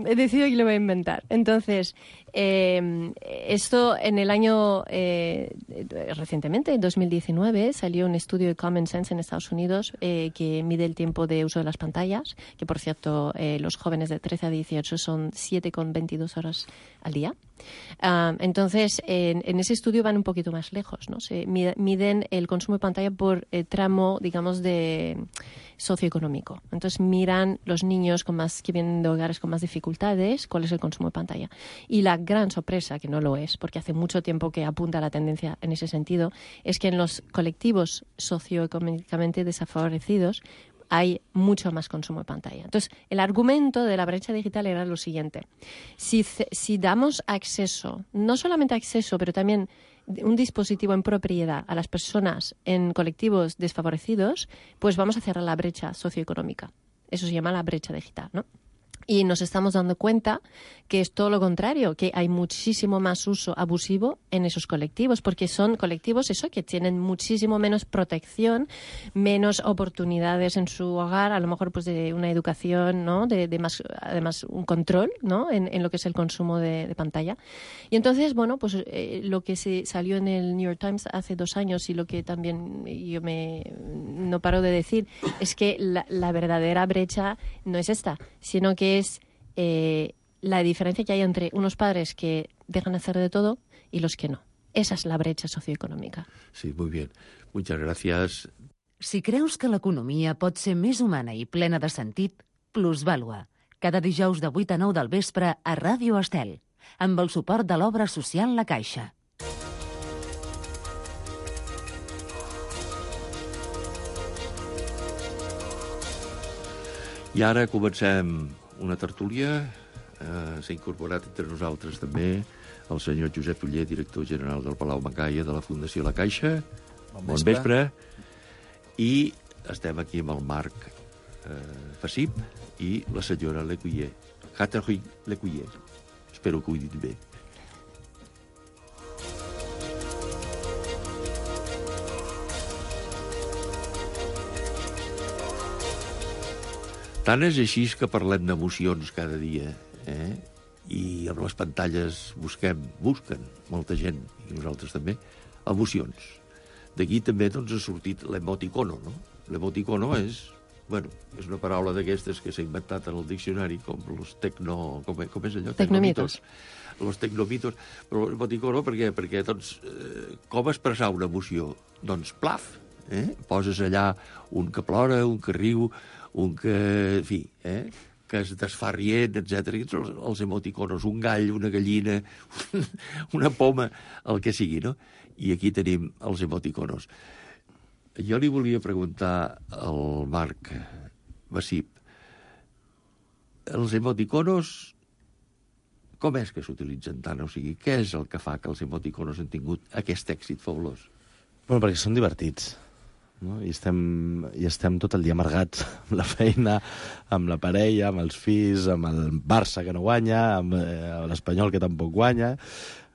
he decidido que lo voy a inventar. Entonces, esto en el año, recientemente, en 2019, salió un estudio de Common Sense en Estados Unidos que mide el tiempo de uso de las pantallas, que por cierto, los jóvenes de 13 a 18 son 7,22 horas al día. Entonces, en ese estudio van un poquito más lejos, ¿no? Se miden el consumo de pantalla por tramo, digamos, de socioeconómico. Entonces, miran los niños que vienen de hogares con más dificultades, cuál es el consumo de pantalla. Y la gran sorpresa, que no lo es, porque hace mucho tiempo que apunta la tendencia en ese sentido, es que en los colectivos socioeconómicamente desfavorecidos hay mucho más consumo de pantalla. Entonces, el argumento de la brecha digital era lo siguiente. Si damos acceso, no solamente acceso, pero también un dispositivo en propiedad a las personas en colectivos desfavorecidos, pues vamos a cerrar la brecha socioeconómica. Eso se llama la brecha digital, ¿no? Y nos estamos dando cuenta que es todo lo contrario, que hay muchísimo más uso abusivo en esos colectivos, porque son colectivos que tienen muchísimo menos protección, menos oportunidades en su hogar, a lo mejor pues de una educación, ¿no? de más, además un control, ¿no? en lo que es el consumo de pantalla. Y entonces, bueno, pues lo que se salió en el New York Times hace 2 años y lo que también yo no paro de decir es que la verdadera brecha no es esta, sino que es la diferencia que hay entre unos padres que dejan hacer de todo y los que no. Esa es la brecha socioeconòmica. Sí, muy bien. Muchas gracias. Si creus que l'economia pot ser més humana i plena de sentit, Plusvàlua. Cada dijous de 8 a 9 del vespre a Ràdio Estel, amb el suport de l'obra social La Caixa. I ara comencem una tertúlia. S'ha incorporat entre nosaltres també el senyor Josep Uller, director general del Palau Mangaia de la Fundació La Caixa. Bon vespre. I estem aquí amb el Marc Fassip i la senyora Lecuyer. Catherine Lecuyer. Espero que ho he dit bé. Tant és així que parlem d'emocions cada dia, i amb les pantalles busquen molta gent, i nosaltres també, emocions. D'aquí també ha sortit l'emoticono, no? L'emoticono és una paraula d'aquestes que s'ha inventat en el diccionari, com els com és allò? Tecnomitos. Els tecnomitos. Però l'emoticono, per què? Perquè, com expressar una emoció? Doncs plaf, poses allà un que plora, un que riu, un que, en fi, que es desfà rient, etc. Els emoticonos, un gall, una gallina, una poma, el que sigui, no? I aquí tenim els emoticonos. Jo li volia preguntar al Marc Fassip, els emoticonos, com és que s'utilitzen tant? O sigui, què és el que fa que els emoticonos han tingut aquest èxit fabulós? Bueno, perquè són divertits. No? I estem tot el dia amargats amb la feina, amb la parella, amb els fills, amb el Barça que no guanya, amb l'Espanyol que tampoc guanya.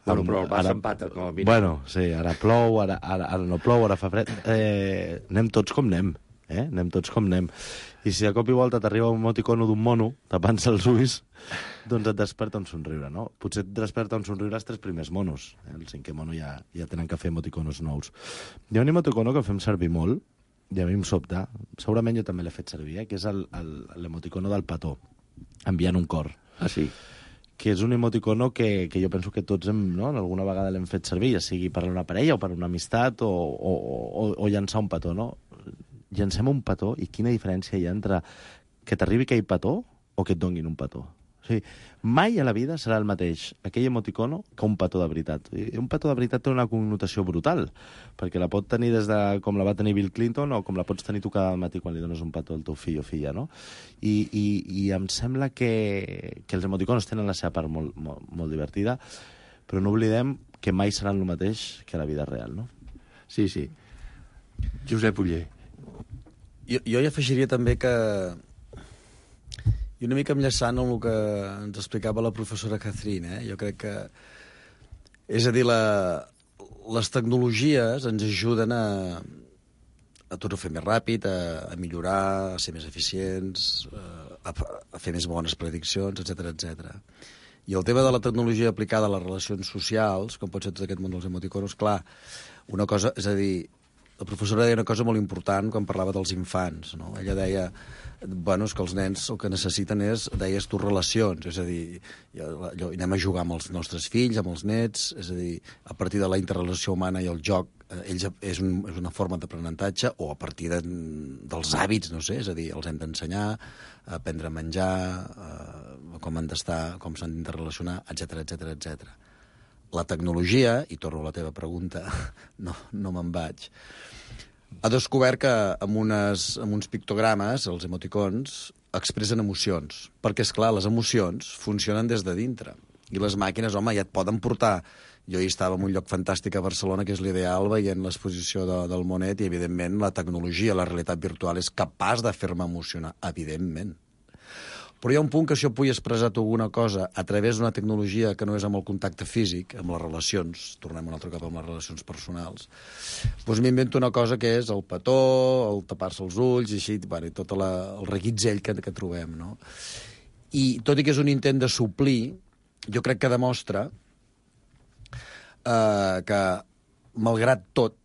Bueno, però el Barça empata, com a mínim. Bueno, sí, ara plou, ara no plou, ara fa fred. Anem tots com anem, anem tots com anem. I si de cop i volta t'arriba un emoticono d'un mono tapant-se els ulls, doncs et desperta un somriure, no? Potser et desperta un somriure els 3 primers monos. El 5è mono ja tenen que fer emoticonos nous. Hi ha un emoticono que fem servir molt, i a mi em sobta, segurament jo també l'he fet servir, que és l'emoticono del petó, enviant un cor. Ah, sí? Que és un emoticono que jo penso que tots alguna vegada l'hem fet servir, ja sigui per una parella o per una amistat o llançar un petó, no? Llancem un petó i quina diferència hi ha entre que t'arribi aquell petó o que et donguin un petó. O sigui, mai a la vida serà el mateix aquell emoticono que un petó de veritat. I un petó de veritat té una connotació brutal, perquè la pot tenir des de com la va tenir Bill Clinton o com la pots tenir tu cada matí quan li dones un petó al teu fill o filla, no? I em sembla que els emoticonos tenen la seva part molt divertida, però no oblidem que mai seran el mateix que la vida real, no? Sí, sí. Josep Uller. Jo hi afegiria també que, i una mica enllaçant amb el que ens explicava la professora Catherine, jo crec que, és a dir, les tecnologies ens ajuden a tot ho fer més ràpid, a millorar, a ser més eficients, a fer més bones prediccions, etc. I el tema de la tecnologia aplicada a les relacions socials, com pot ser tot aquest món dels emoticonos, clar, una cosa, és a dir, la professora deia una cosa molt important quan parlava dels infants, no? Ella deia, bueno, és que els nens el que necessiten és, deies tu, relacions, és a dir, anem a jugar amb els nostres fills, amb els nets, és a dir, a partir de la interrelació humana i el joc, és una forma d'aprenentatge, o a partir dels hàbits, no sé, és a dir, els hem d'ensenyar a aprendre a menjar, com han d'estar, com s'han d'interrelacionar, etc. La tecnologia, i torno a la teva pregunta, no me'n vaig, ha descobert que amb uns pictogrames, els emoticons, expressen emocions. Perquè, és clar, les emocions funcionen des de dintre. I les màquines, home, ja et poden portar. Jo hi estava en un lloc fantàstic a Barcelona, que és l'Ideal, veient l'exposició del Monet, i, evidentment, la tecnologia, la realitat virtual, és capaç de fer-me emocionar, evidentment. Però hi ha un punt que si jo pugui expressar alguna cosa a través d'una tecnologia que no és amb el contacte físic, amb les relacions, tornem un altre cop amb les relacions personals, doncs m'invento una cosa que és el petó, el tapar-se els ulls, i així, bueno, i tot el reguitzell que trobem, no? I tot i que és un intent de suplir, jo crec que demostra que, malgrat tot,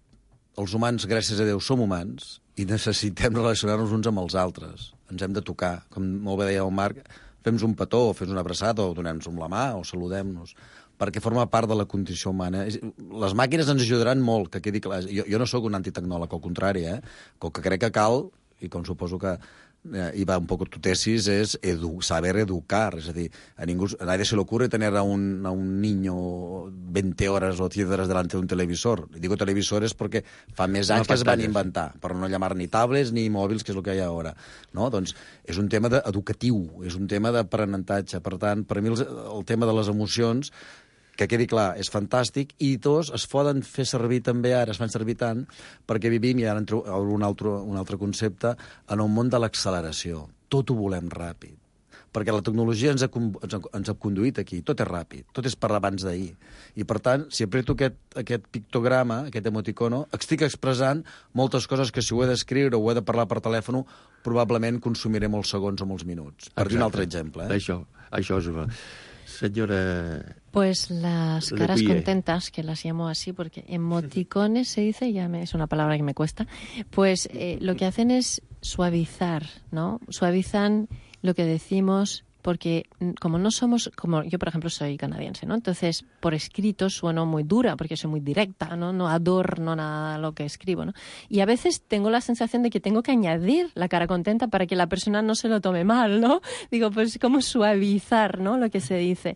els humans, gràcies a Déu, som humans i necessitem relacionar-nos uns amb els altres. Ens hem de tocar. Com molt bé deia el Marc, fem-nos un petó, o fem-nos una abraçada, o donem-nos amb la mà, o saludem-nos, perquè forma part de la condició humana. Les màquines ens ajudaran molt, que quedi clar. Jo no sóc un antitecnòleg, al contrari, que el que crec que cal, i com suposo que y va un poco tu tesis, es saber educar. Es decir, a nadie se le ocurre tener a un niño 20 horas o 10 horas delante de un televisor. Y digo televisores porque fa més anys que es van inventar, per no llamar ni tablets ni mòbils, que és el que hi ha ara. No? Doncs és un tema educatiu, és un tema d'aprenentatge. Per tant, per mi el tema de les emocions, que quedi clar, és fantàstic, i dos, es poden fer servir també ara, es fan servir tant, perquè vivim, i ara entro a un altre concepte, en un món de l'acceleració. Tot ho volem ràpid. Perquè la tecnologia ens ha conduït aquí. Tot és ràpid, tot és per abans d'ahir. I, per tant, si apreto aquest pictograma, aquest emoticono, estic expressant moltes coses que si ho he d'escriure o ho he de parlar per telèfon, probablement consumiré molts segons o molts minuts. Per dir un altre exemple. Això és una... Señora... Pues las caras contentas, que las llamo así porque emoticones se dice, es una palabra que me cuesta, pues lo que hacen es suavizar, ¿no? Suavizan lo que decimos, porque como no somos, como yo por ejemplo soy canadiense, ¿no? Entonces por escrito sueno muy dura porque soy muy directa, no adorno nada lo que escribo, ¿no? Y a veces tengo la sensación de que tengo que añadir la cara contenta para que la persona no se lo tome mal, ¿no? Digo, pues como suavizar, ¿no? Lo que se dice.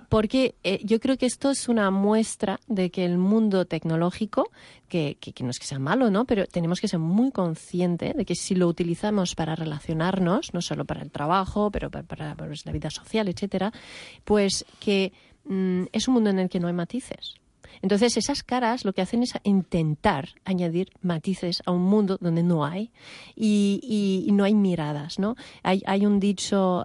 Porque yo creo que esto es una muestra de que el mundo tecnológico, que no es que sea malo, ¿no? Pero tenemos que ser muy conscientes de que si lo utilizamos para relacionarnos, no solo para el trabajo, pero para la vida social, etcétera, pues que es un mundo en el que no hay matices. Entonces, esas caras lo que hacen es intentar añadir matices a un mundo donde no hay y no hay miradas, ¿no? Hay un dicho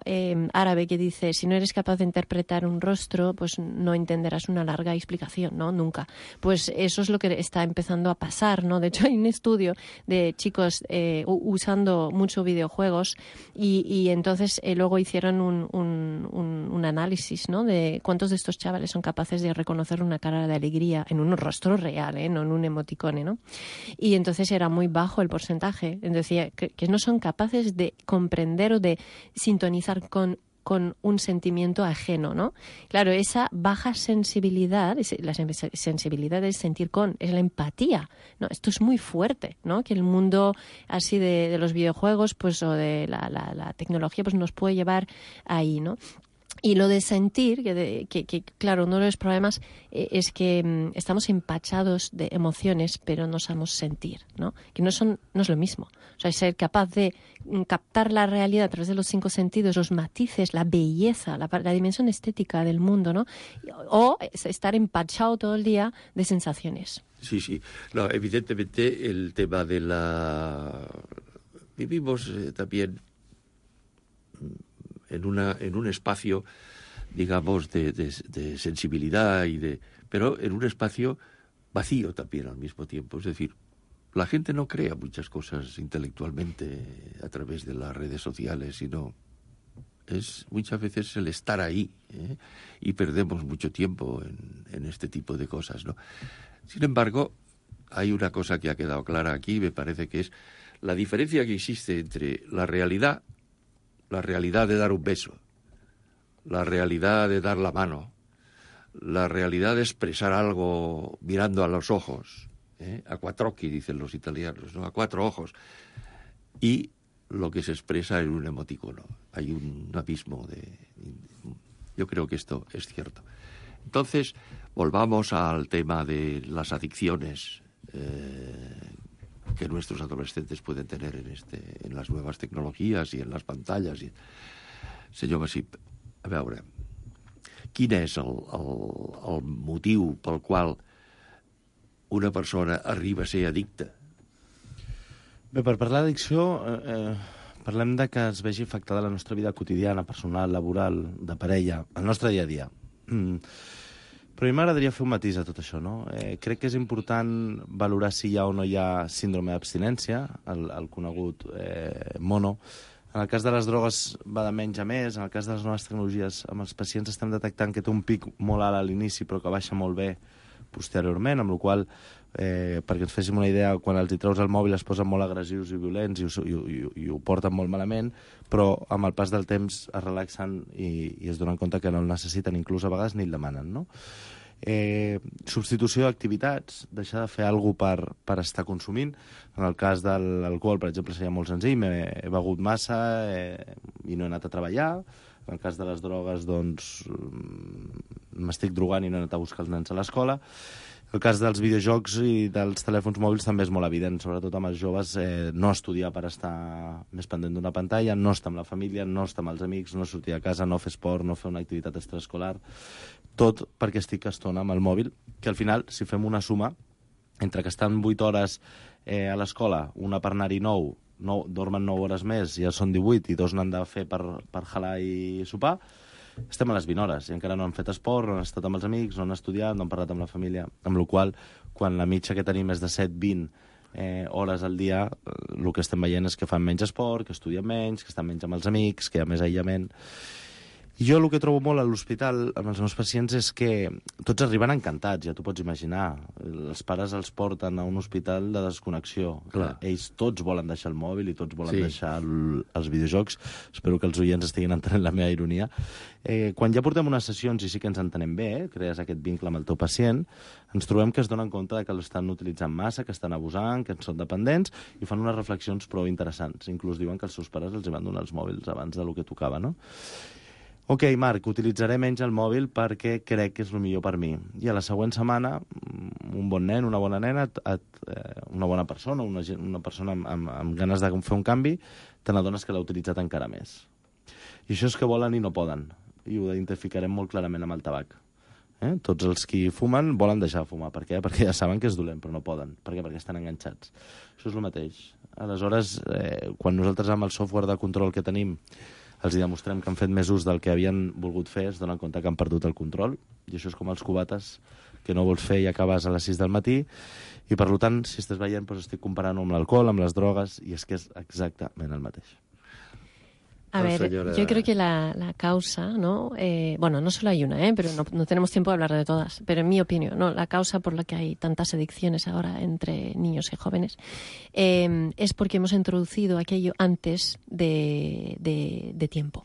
árabe que dice, si no eres capaz de interpretar un rostro, pues no entenderás una larga explicación, ¿no? Nunca. Pues eso es lo que está empezando a pasar, ¿no? De hecho, hay un estudio de chicos usando mucho videojuegos y entonces luego hicieron un análisis, ¿no? De cuántos de estos chavales son capaces de reconocer una cara de alegría en un rostro real, no en un emoticone, ¿no? Y entonces era muy bajo el porcentaje. Decía que no son capaces de comprender o de sintonizar con un sentimiento ajeno, ¿no? Claro, esa baja sensibilidad, la sensibilidad es sentir con, es la empatía, ¿no? Esto es muy fuerte, ¿no? Que el mundo así de los videojuegos, pues, o de la tecnología, pues nos puede llevar ahí, ¿no? Y lo de sentir, que claro, uno de los problemas es que estamos empachados de emociones, pero no sabemos sentir, ¿no? Que no es lo mismo. O sea, ser capaz de captar la realidad a través de los 5 sentidos, los matices, la belleza, la dimensión estética del mundo, ¿no? O estar empachado todo el día de sensaciones. Sí, sí. No, evidentemente el tema de Vivimos también en un espacio, digamos, de sensibilidad pero en un espacio vacío también al mismo tiempo. Es decir, la gente no crea muchas cosas intelectualmente a través de las redes sociales, sino es muchas veces el estar ahí, y perdemos mucho tiempo en este tipo de cosas, ¿no? Sin embargo, hay una cosa que ha quedado clara aquí, me parece que es la diferencia que existe entre la realidad de dar un beso, la realidad de dar la mano, la realidad de expresar algo mirando a los ojos, a quattro occhi, dicen los italianos, ¿no? A 4 ojos, y lo que se expresa en un emoticono. Hay un abismo Yo creo que esto es cierto. Entonces, volvamos al tema de las adicciones que nuestros adolescentes pueden tener en las nuevas tecnologías i en les pantalles. Senyor Masip, a veure, quin és el motiu pel qual una persona arriba a ser addicta? Bé, per parlar d'addicció, parlem de que es vegi afectada la nostra vida quotidiana, personal, laboral, de parella, el nostre dia a dia. Però a mi m'agradaria fer un matís a tot això, no? Crec que és important valorar si hi ha o no hi ha síndrome d'abstinència, el conegut mono. En el cas de les drogues va de menys a més, en el cas de les noves tecnologies amb els pacients estem detectant que té un pic molt alt a l'inici però que baixa molt bé posteriorment, amb la qual perquè ens féssim una idea, quan els hi treus el mòbil es posen molt agressius i violents i ho porten molt malament, però amb el pas del temps es relaxen i es donen compte que no el necessiten, inclús a vegades ni el demanen, no? Substitució d'activitats, deixar de fer alguna cosa per estar consumint. En el cas de l'alcohol, per exemple, seria molt senzill, he begut massa i no he anat a treballar. En el cas de les drogues, doncs, m'estic drogant i no he anat a buscar els nens a l'escola. El cas dels videojocs i dels telèfons mòbils també és molt evident, sobretot amb els joves, no estudiar per estar més pendent d'una pantalla, no estar amb la família, no estar amb els amics, no sortir de casa, no fer esport, no fer una activitat extraescolar, tot perquè estic estona amb el mòbil, que al final, si fem una suma, entre que estan 8 hores a l'escola, una per anar-hi 9, dormen 9 hores més, ja són 18, i 2 n'han de fer per jalar i sopar, estem a les 20 hores i encara no han fet esport, no han estat amb els amics, no han estudiat, no han parlat amb la família, amb la qual quan la mitja que tenim és de 7-20 hores al dia, el que estem veient és que fan menys esport, que estudien menys, que estan menys amb els amics, que hi ha més aïllament. I jo el que trobo molt a l'hospital amb els meus pacients és que tots arriben encantats, ja t'ho pots imaginar. Els pares els porten a un hospital de desconnexió. Clar. Ells tots volen deixar el mòbil i tots volen deixar els videojocs. Espero que els oients estiguin entenent la meva ironia. Quan ja portem unes sessions i sí que ens entenem bé, crees aquest vincle amb el teu pacient, ens trobem que es donen compte que l'estan utilitzant massa, que estan abusant, que en són dependents, i fan unes reflexions prou interessants. Inclús diuen que els seus pares els van donar els mòbils abans del que tocava, no? Ok, Marc, utilitzaré menys el mòbil perquè crec que és el millor per mi. I a la següent setmana, un bon nen, una bona nena, una bona persona, una persona amb ganes de fer un canvi, te n'adones que l'ha utilitzat encara més. I això és que volen i no poden. I ho identificarem molt clarament amb el tabac. Tots els qui fumen volen deixar de fumar. Per què? Perquè ja saben que és dolent, però no poden. Per què? Perquè estan enganxats. Això és el mateix. Aleshores, quan nosaltres amb el software de control que tenim els hi demostrem que han fet més ús del que havien volgut fer, es donen compte que han perdut el control, i això és com els cubates que no vols fer i acabes a les 6 del matí, i per tant, si estàs veient, doncs estic comparant amb l'alcohol, amb les drogues, i és que és exactament el mateix. A ver, yo creo que la causa, ¿no? Bueno, no solo hay una, pero no tenemos tiempo de hablar de todas, pero en mi opinión, ¿no? La causa por la que hay tantas adicciones ahora entre niños y jóvenes es porque hemos introducido aquello antes de tiempo.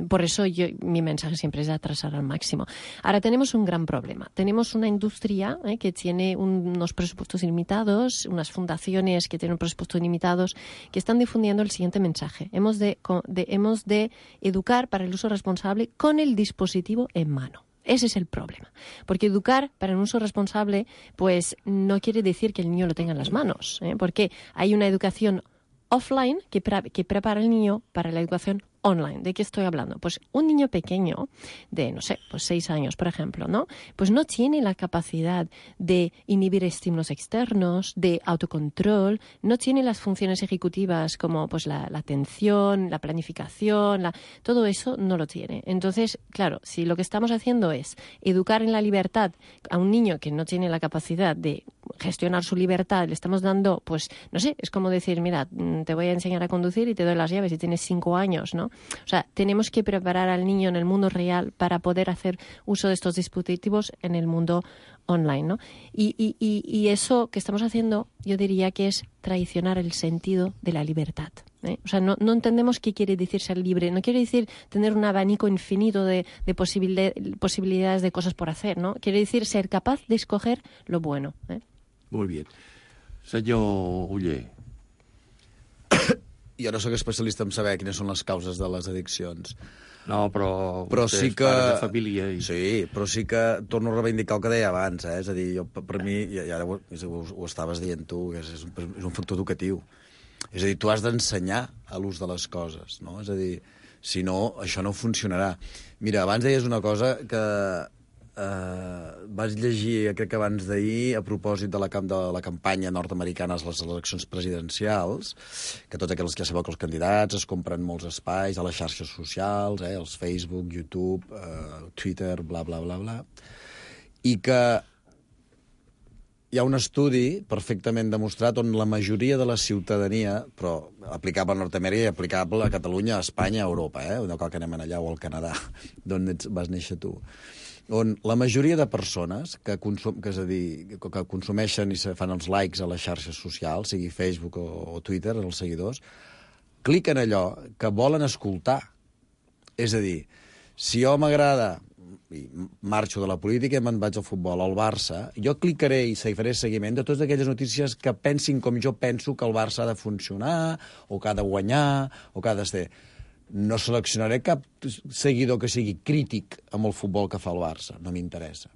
Por eso mi mensaje siempre es atrasar al máximo. Ahora tenemos un gran problema. Tenemos una industria que tiene unos presupuestos limitados, unas fundaciones que tienen presupuestos limitados, que están difundiendo el siguiente mensaje. Hemos de educar para el uso responsable con el dispositivo en mano. Ese es el problema. Porque educar para un uso responsable, pues no quiere decir que el niño lo tenga en las manos, porque hay una educación offline que prepara al niño para la educación online. ¿De qué estoy hablando? Pues un niño pequeño de, 6 años, por ejemplo, ¿no? Pues no tiene la capacidad de inhibir estímulos externos, de autocontrol, no tiene las funciones ejecutivas como pues la atención, la planificación, todo eso no lo tiene. Entonces, claro, si lo que estamos haciendo es educar en la libertad a un niño que no tiene la capacidad de gestionar su libertad, le estamos dando, pues, es como decir, mira, te voy a enseñar a conducir y te doy las llaves y tienes 5 años, ¿no? O sea, tenemos que preparar al niño en el mundo real para poder hacer uso de estos dispositivos en el mundo online, ¿no? Y eso que estamos haciendo, yo diría que es traicionar el sentido de la libertad. O sea, no entendemos qué quiere decir ser libre. No quiere decir tener un abanico infinito de posibilidades de cosas por hacer, ¿no? Quiere decir ser capaz de escoger lo bueno. Molt bé. Senyor Oller. Jo no sóc especialista en saber quines són les causes de les addiccions. No, però sí que... pare de família. Sí, però sí que torno a reivindicar el que deia abans, És a dir, per mi, i ara ho estaves dient tu, que és un factor educatiu. És a dir, tu has d'ensenyar a l'ús de les coses, no? És a dir, si no, això no funcionarà. Mira, abans deies una cosa que vaig llegir, crec que abans d'ahir, a propòsit de la campanya nord-americana a les eleccions presidencials, que tots aquells que ja sabeu que els candidats es compren molts espais a les xarxes socials, els Facebook, YouTube, Twitter, bla, bla, bla, bla, i que hi ha un estudi perfectament demostrat on la majoria de la ciutadania, però aplicable a Nord-Amèrica i aplicable a Catalunya, a Espanya, a Europa, no cal que anem allà o al Canadà, d'on vas néixer tu, on la majoria de persones que consumeixen i se fan els likes a les xarxes socials, sigui Facebook o Twitter, els seguidors, cliquen allò que volen escoltar. És a dir, si jo m'agrada i marxo de la política i me'n vaig al futbol, al Barça, jo clicaré i faré seguiment de totes aquelles notícies que pensin com jo penso que el Barça ha de funcionar, o que ha de guanyar, o que ha de ser... No seleccionaré cap seguidor que sigui crític amb el futbol que fa el Barça, no m'interessa.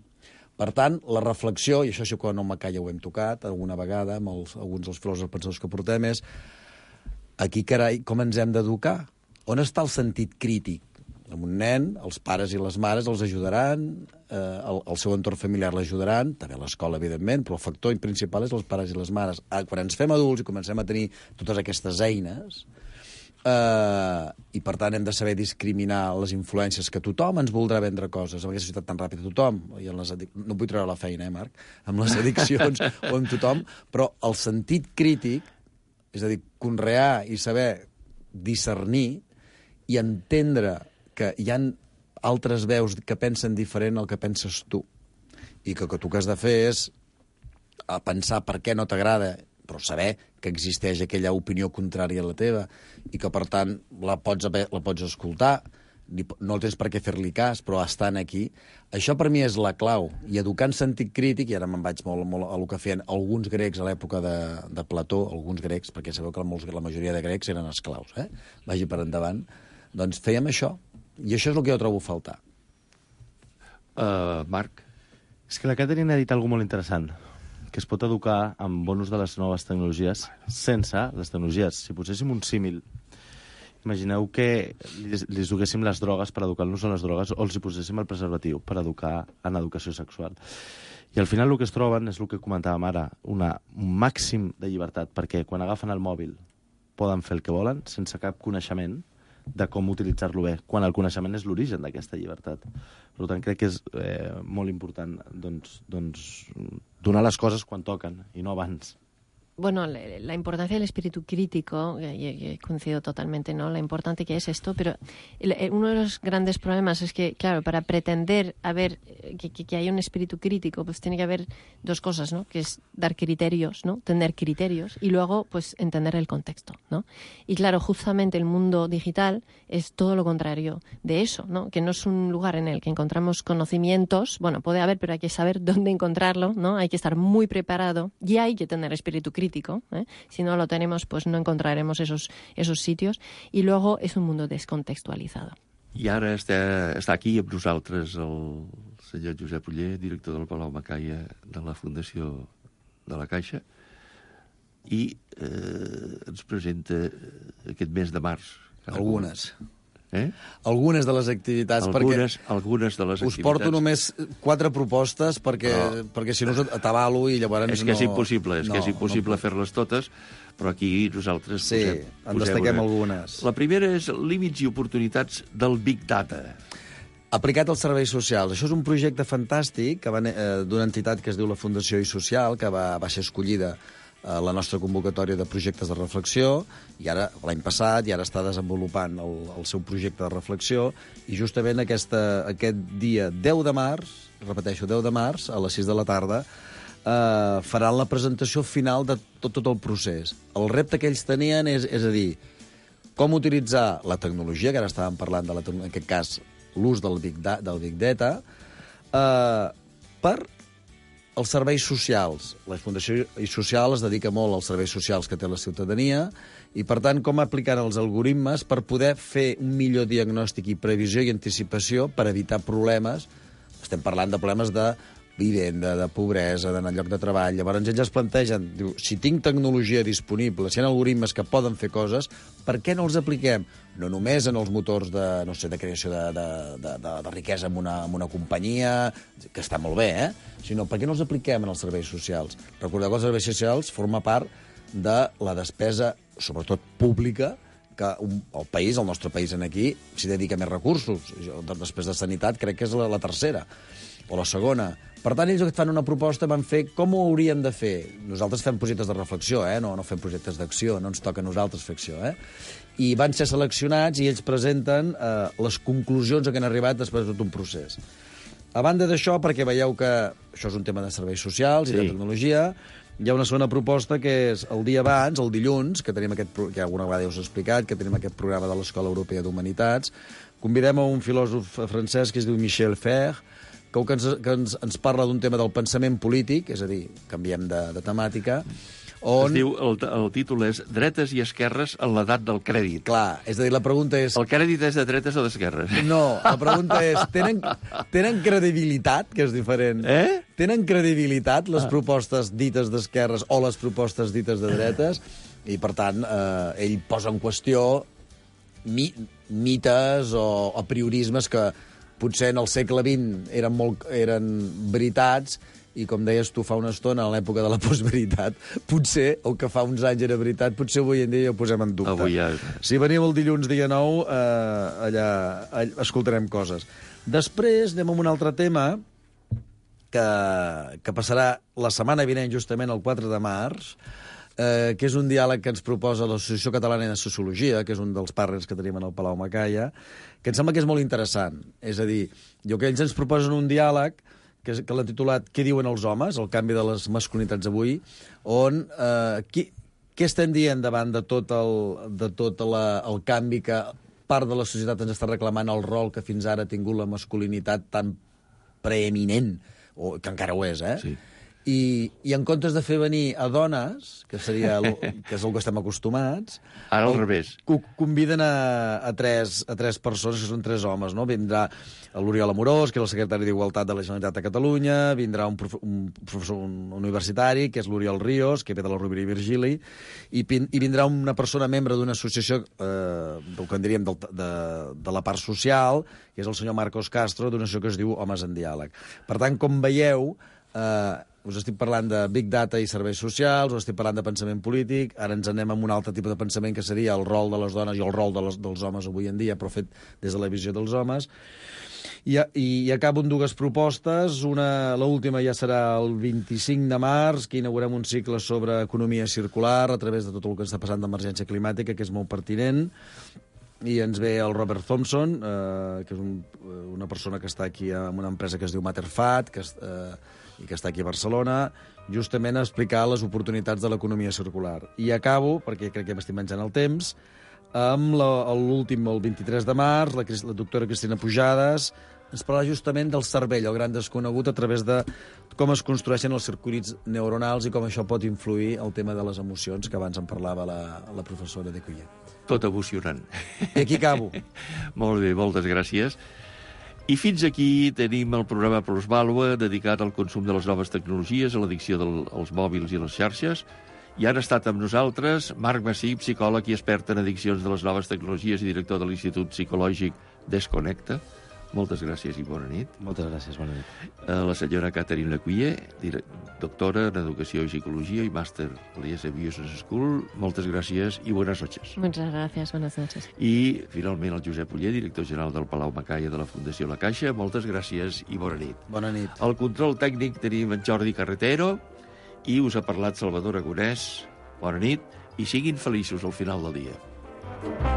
Per tant, la reflexió, i això sí que no m'acalla ho hem tocat alguna vegada amb alguns dels filòsofs pensadors que portem, és aquí, carai, com ens hem d'educar? On està el sentit crític? Amb un nen, els pares i les mares els ajudaran, el seu entorn familiar l'ajudaran, també l'escola, evidentment, però el factor principal és els pares i les mares. Quan ens fem adults i comencem a tenir totes aquestes eines, i per tant hem de saber discriminar les influències que tothom ens voldrà vendre coses amb aquesta societat tan ràpida, tothom, i no vull treure la feina, Marc, amb les addiccions o amb tothom, però el sentit crític, és a dir, conrear i saber discernir i entendre que hi ha altres veus que pensen diferent al que penses tu, i que tu que has de fer és pensar per què no t'agrada, però saber que existeix aquella opinió contrària a la teva i que, per tant, la pots escoltar, no tens per què fer-li cas, però estan aquí. Això per mi és la clau. I educar en sentit crític, i ara me'n vaig molt a el que feien alguns grecs a l'època de Plató, alguns grecs, perquè sabeu que la majoria de grecs eren esclaus, vagi per endavant, doncs fèiem això. I això és el que jo trobo a faltar. Marc? És que la Caterina ha dit alguna molt interessant, que es pot educar amb bon ús de les noves tecnologies sense les tecnologies. Si poséssim un símil, imagineu que li duguéssim les drogues per educar-los en les drogues o els hi poséssim el preservatiu per educar en educació sexual. I al final el que es troben és el que comentàvem ara, un màxim de llibertat, perquè quan agafen el mòbil poden fer el que volen sense cap coneixement de com utilitzar-lo bé, quan el coneixement és l'origen d'aquesta llibertat. Per tant, crec que és molt important donar les coses quan toquen i no abans. Bueno, la importancia del espíritu crítico, y coincido totalmente, ¿no? La importante que es esto, pero uno de los grandes problemas es que, claro, para pretender que haya un espíritu crítico, pues tiene que haber dos cosas, ¿no? Que es dar criterios, ¿no? Tener criterios y luego, pues, entender el contexto, ¿no? Y claro, justamente el mundo digital es todo lo contrario de eso, ¿no? Que no es un lugar en el que encontramos conocimientos, bueno, puede haber, pero hay que saber dónde encontrarlo, ¿no? Hay que estar muy preparado y hay que tener espíritu crítico. Si no lo tenemos, pues no encontraremos esos sitios. I luego és un mundo descontextualitzado. I ara està aquí amb nosaltres el senyor Josep Oller, director del Palau Macaia de la Fundació de la Caixa, i ens presenta aquest mes de març. Algunes. Algunes de les activitats. Algunes de les activitats. Us porto només 4 propostes perquè si no t'avalo i llavors és que és impossible fer-les totes, però aquí nosaltres en destaquem algunes. La primera és límits i oportunitats del Big Data. Aplicat als serveis socials. Això és un projecte fantàstic d'una entitat que es diu la Fundació i Social, que va ser escollida a la nostra convocatòria de projectes de reflexió, i ara, l'any passat, i ara està desenvolupant el seu projecte de reflexió, i justament aquest dia 10 de març, repeteixo, 10 de març, a les 6 de la tarda, faran la presentació final de tot el procés. El repte que ells tenien és a dir, com utilitzar la tecnologia, que ara estàvem parlant, en aquest cas, l'ús del Big Data, per els serveis socials. La Fundació i Social es dedica molt als serveis socials que té la ciutadania i, per tant, com aplicar els algoritmes per poder fer un millor diagnòstic i previsió i anticipació per evitar problemes. Estem parlant de problemes de vivenda, de pobresa, d'anar al lloc de treball. Llavors ells es plantegen, diu, si tinc tecnologia disponible, si hi ha algoritmes que poden fer coses, per què no els apliquem? No només en els motors de creació de riquesa en una companyia, que està molt bé, sinó per què no els apliquem en els serveis socials? Recordeu que els serveis socials forma part de la despesa, sobretot pública, que el nostre país aquí, s'hi dedica més recursos. Després de sanitat crec que és la tercera o la segona. Per tant, ells que fan una proposta van fer com ho hauríem de fer. Nosaltres fem projectes de reflexió, no fem projectes d'acció, no ens toca a nosaltres fer acció. I van ser seleccionats i ells presenten les conclusions a què han arribat després de tot un procés. A banda d'això, perquè veieu que això és un tema de serveis socials i de tecnologia, hi ha una segona proposta que és el dia abans, el dilluns, que tenim que alguna vegada ja us he explicat, que tenim aquest programa de l'Escola Europea d'Humanitats. Convidem a un filòsof francès que es diu Michel Fer, que ens parla d'un tema del pensament polític, és a dir, canviem de temàtica, on... El títol és Dretes i esquerres en l'edat del crèdit. Clar, és a dir, la pregunta és... El crèdit és de dretes o d'esquerres? No, la pregunta és, tenen credibilitat, que és diferent? Tenen credibilitat les propostes dites d'esquerres o les propostes dites de dretes? I, per tant, ell posa en qüestió mites o apriorismes que potser en el segle XX eren veritats i, com deies tu fa una estona, a l'època de la postveritat, potser el que fa uns anys era veritat, potser avui en dia ja ho posem en dubte. Avui ja... Si veniu el dilluns dia 9, allà escoltarem coses. Després anem a un altre tema que passarà la setmana vinent, justament el 4 de març, que és un diàleg que ens proposa l'Associació Catalana de Sociologia, que és un dels partners que tenim en el Palau Macaia, que em sembla que és molt interessant. És a dir, que ells ens proposen un diàleg que l'ha titulat Què diuen els homes? El canvi de les masculinitats avui, on què estem dient davant de tot el canvi que part de la societat ens està reclamant el rol que fins ara ha tingut la masculinitat tan preeminent, o que encara ho és, Sí. I en comptes de fer venir a dones, que és el que estem acostumats... Ara al revés. Conviden a tres persones, que són 3 homes, no? Vindrà l'Oriol Amorós, que és el secretari d'Igualtat de la Generalitat de Catalunya, vindrà un professor universitari, que és l'Oriol Ríos, que ve de la Rovira i Virgili, i vindrà una persona membre d'una associació, del que en diríem de la part social, que és el senyor Marcos Castro, d'una associació que es diu Homes en Diàleg. Per tant, com veieu... us estic parlant de Big Data i serveis socials, us estic parlant de pensament polític, ara ens anem amb un altre tipus de pensament que seria el rol de les dones i el rol dels homes avui en dia, però fet des de la visió dels homes. I acabo amb dues propostes. L'última ja serà el 25 de març, que inaugurem un cicle sobre economia circular a través de tot el que està passant d'emergència climàtica, que és molt pertinent. I ens ve el Robert Thompson, que és una persona que està aquí en una empresa que es diu Matterfat, i que està aquí a Barcelona, justament a explicar les oportunitats de l'economia circular. I acabo, perquè crec que m'estic menjant el temps, amb l'últim, el 23 de març, la doctora Cristina Pujades ens parlarà justament del cervell, el gran desconegut, a través de com es construeixen els circuits neuronals i com això pot influir el tema de les emocions, que abans en parlava la professora de Cuyer. Tot emocionant. I aquí acabo. Molt bé, moltes gràcies. I fins aquí tenim el programa Plusvàlua, dedicat al consum de les noves tecnologies, a l'addicció als mòbils i les xarxes. I han estat amb nosaltres Marc Massip, psicòleg i expert en addiccions de les noves tecnologies i director de l'Institut Psicològic Desconnecta. Moltes gràcies i bona nit. Moltes gràcies, bona nit. La senyora Catherine Lecuyer, doctora en Educació i Psicologia i màster a l'IES Business School. Moltes gràcies i buenas noches. Muchas gracias, buenas noches. I, finalment, el Josep Uller, director general del Palau Macaya de la Fundació La Caixa. Moltes gràcies i bona nit. Bona nit. Al control tècnic tenim en Jordi Carretero i us ha parlat Salvador Agonès. Bona nit i siguin feliços al final del dia.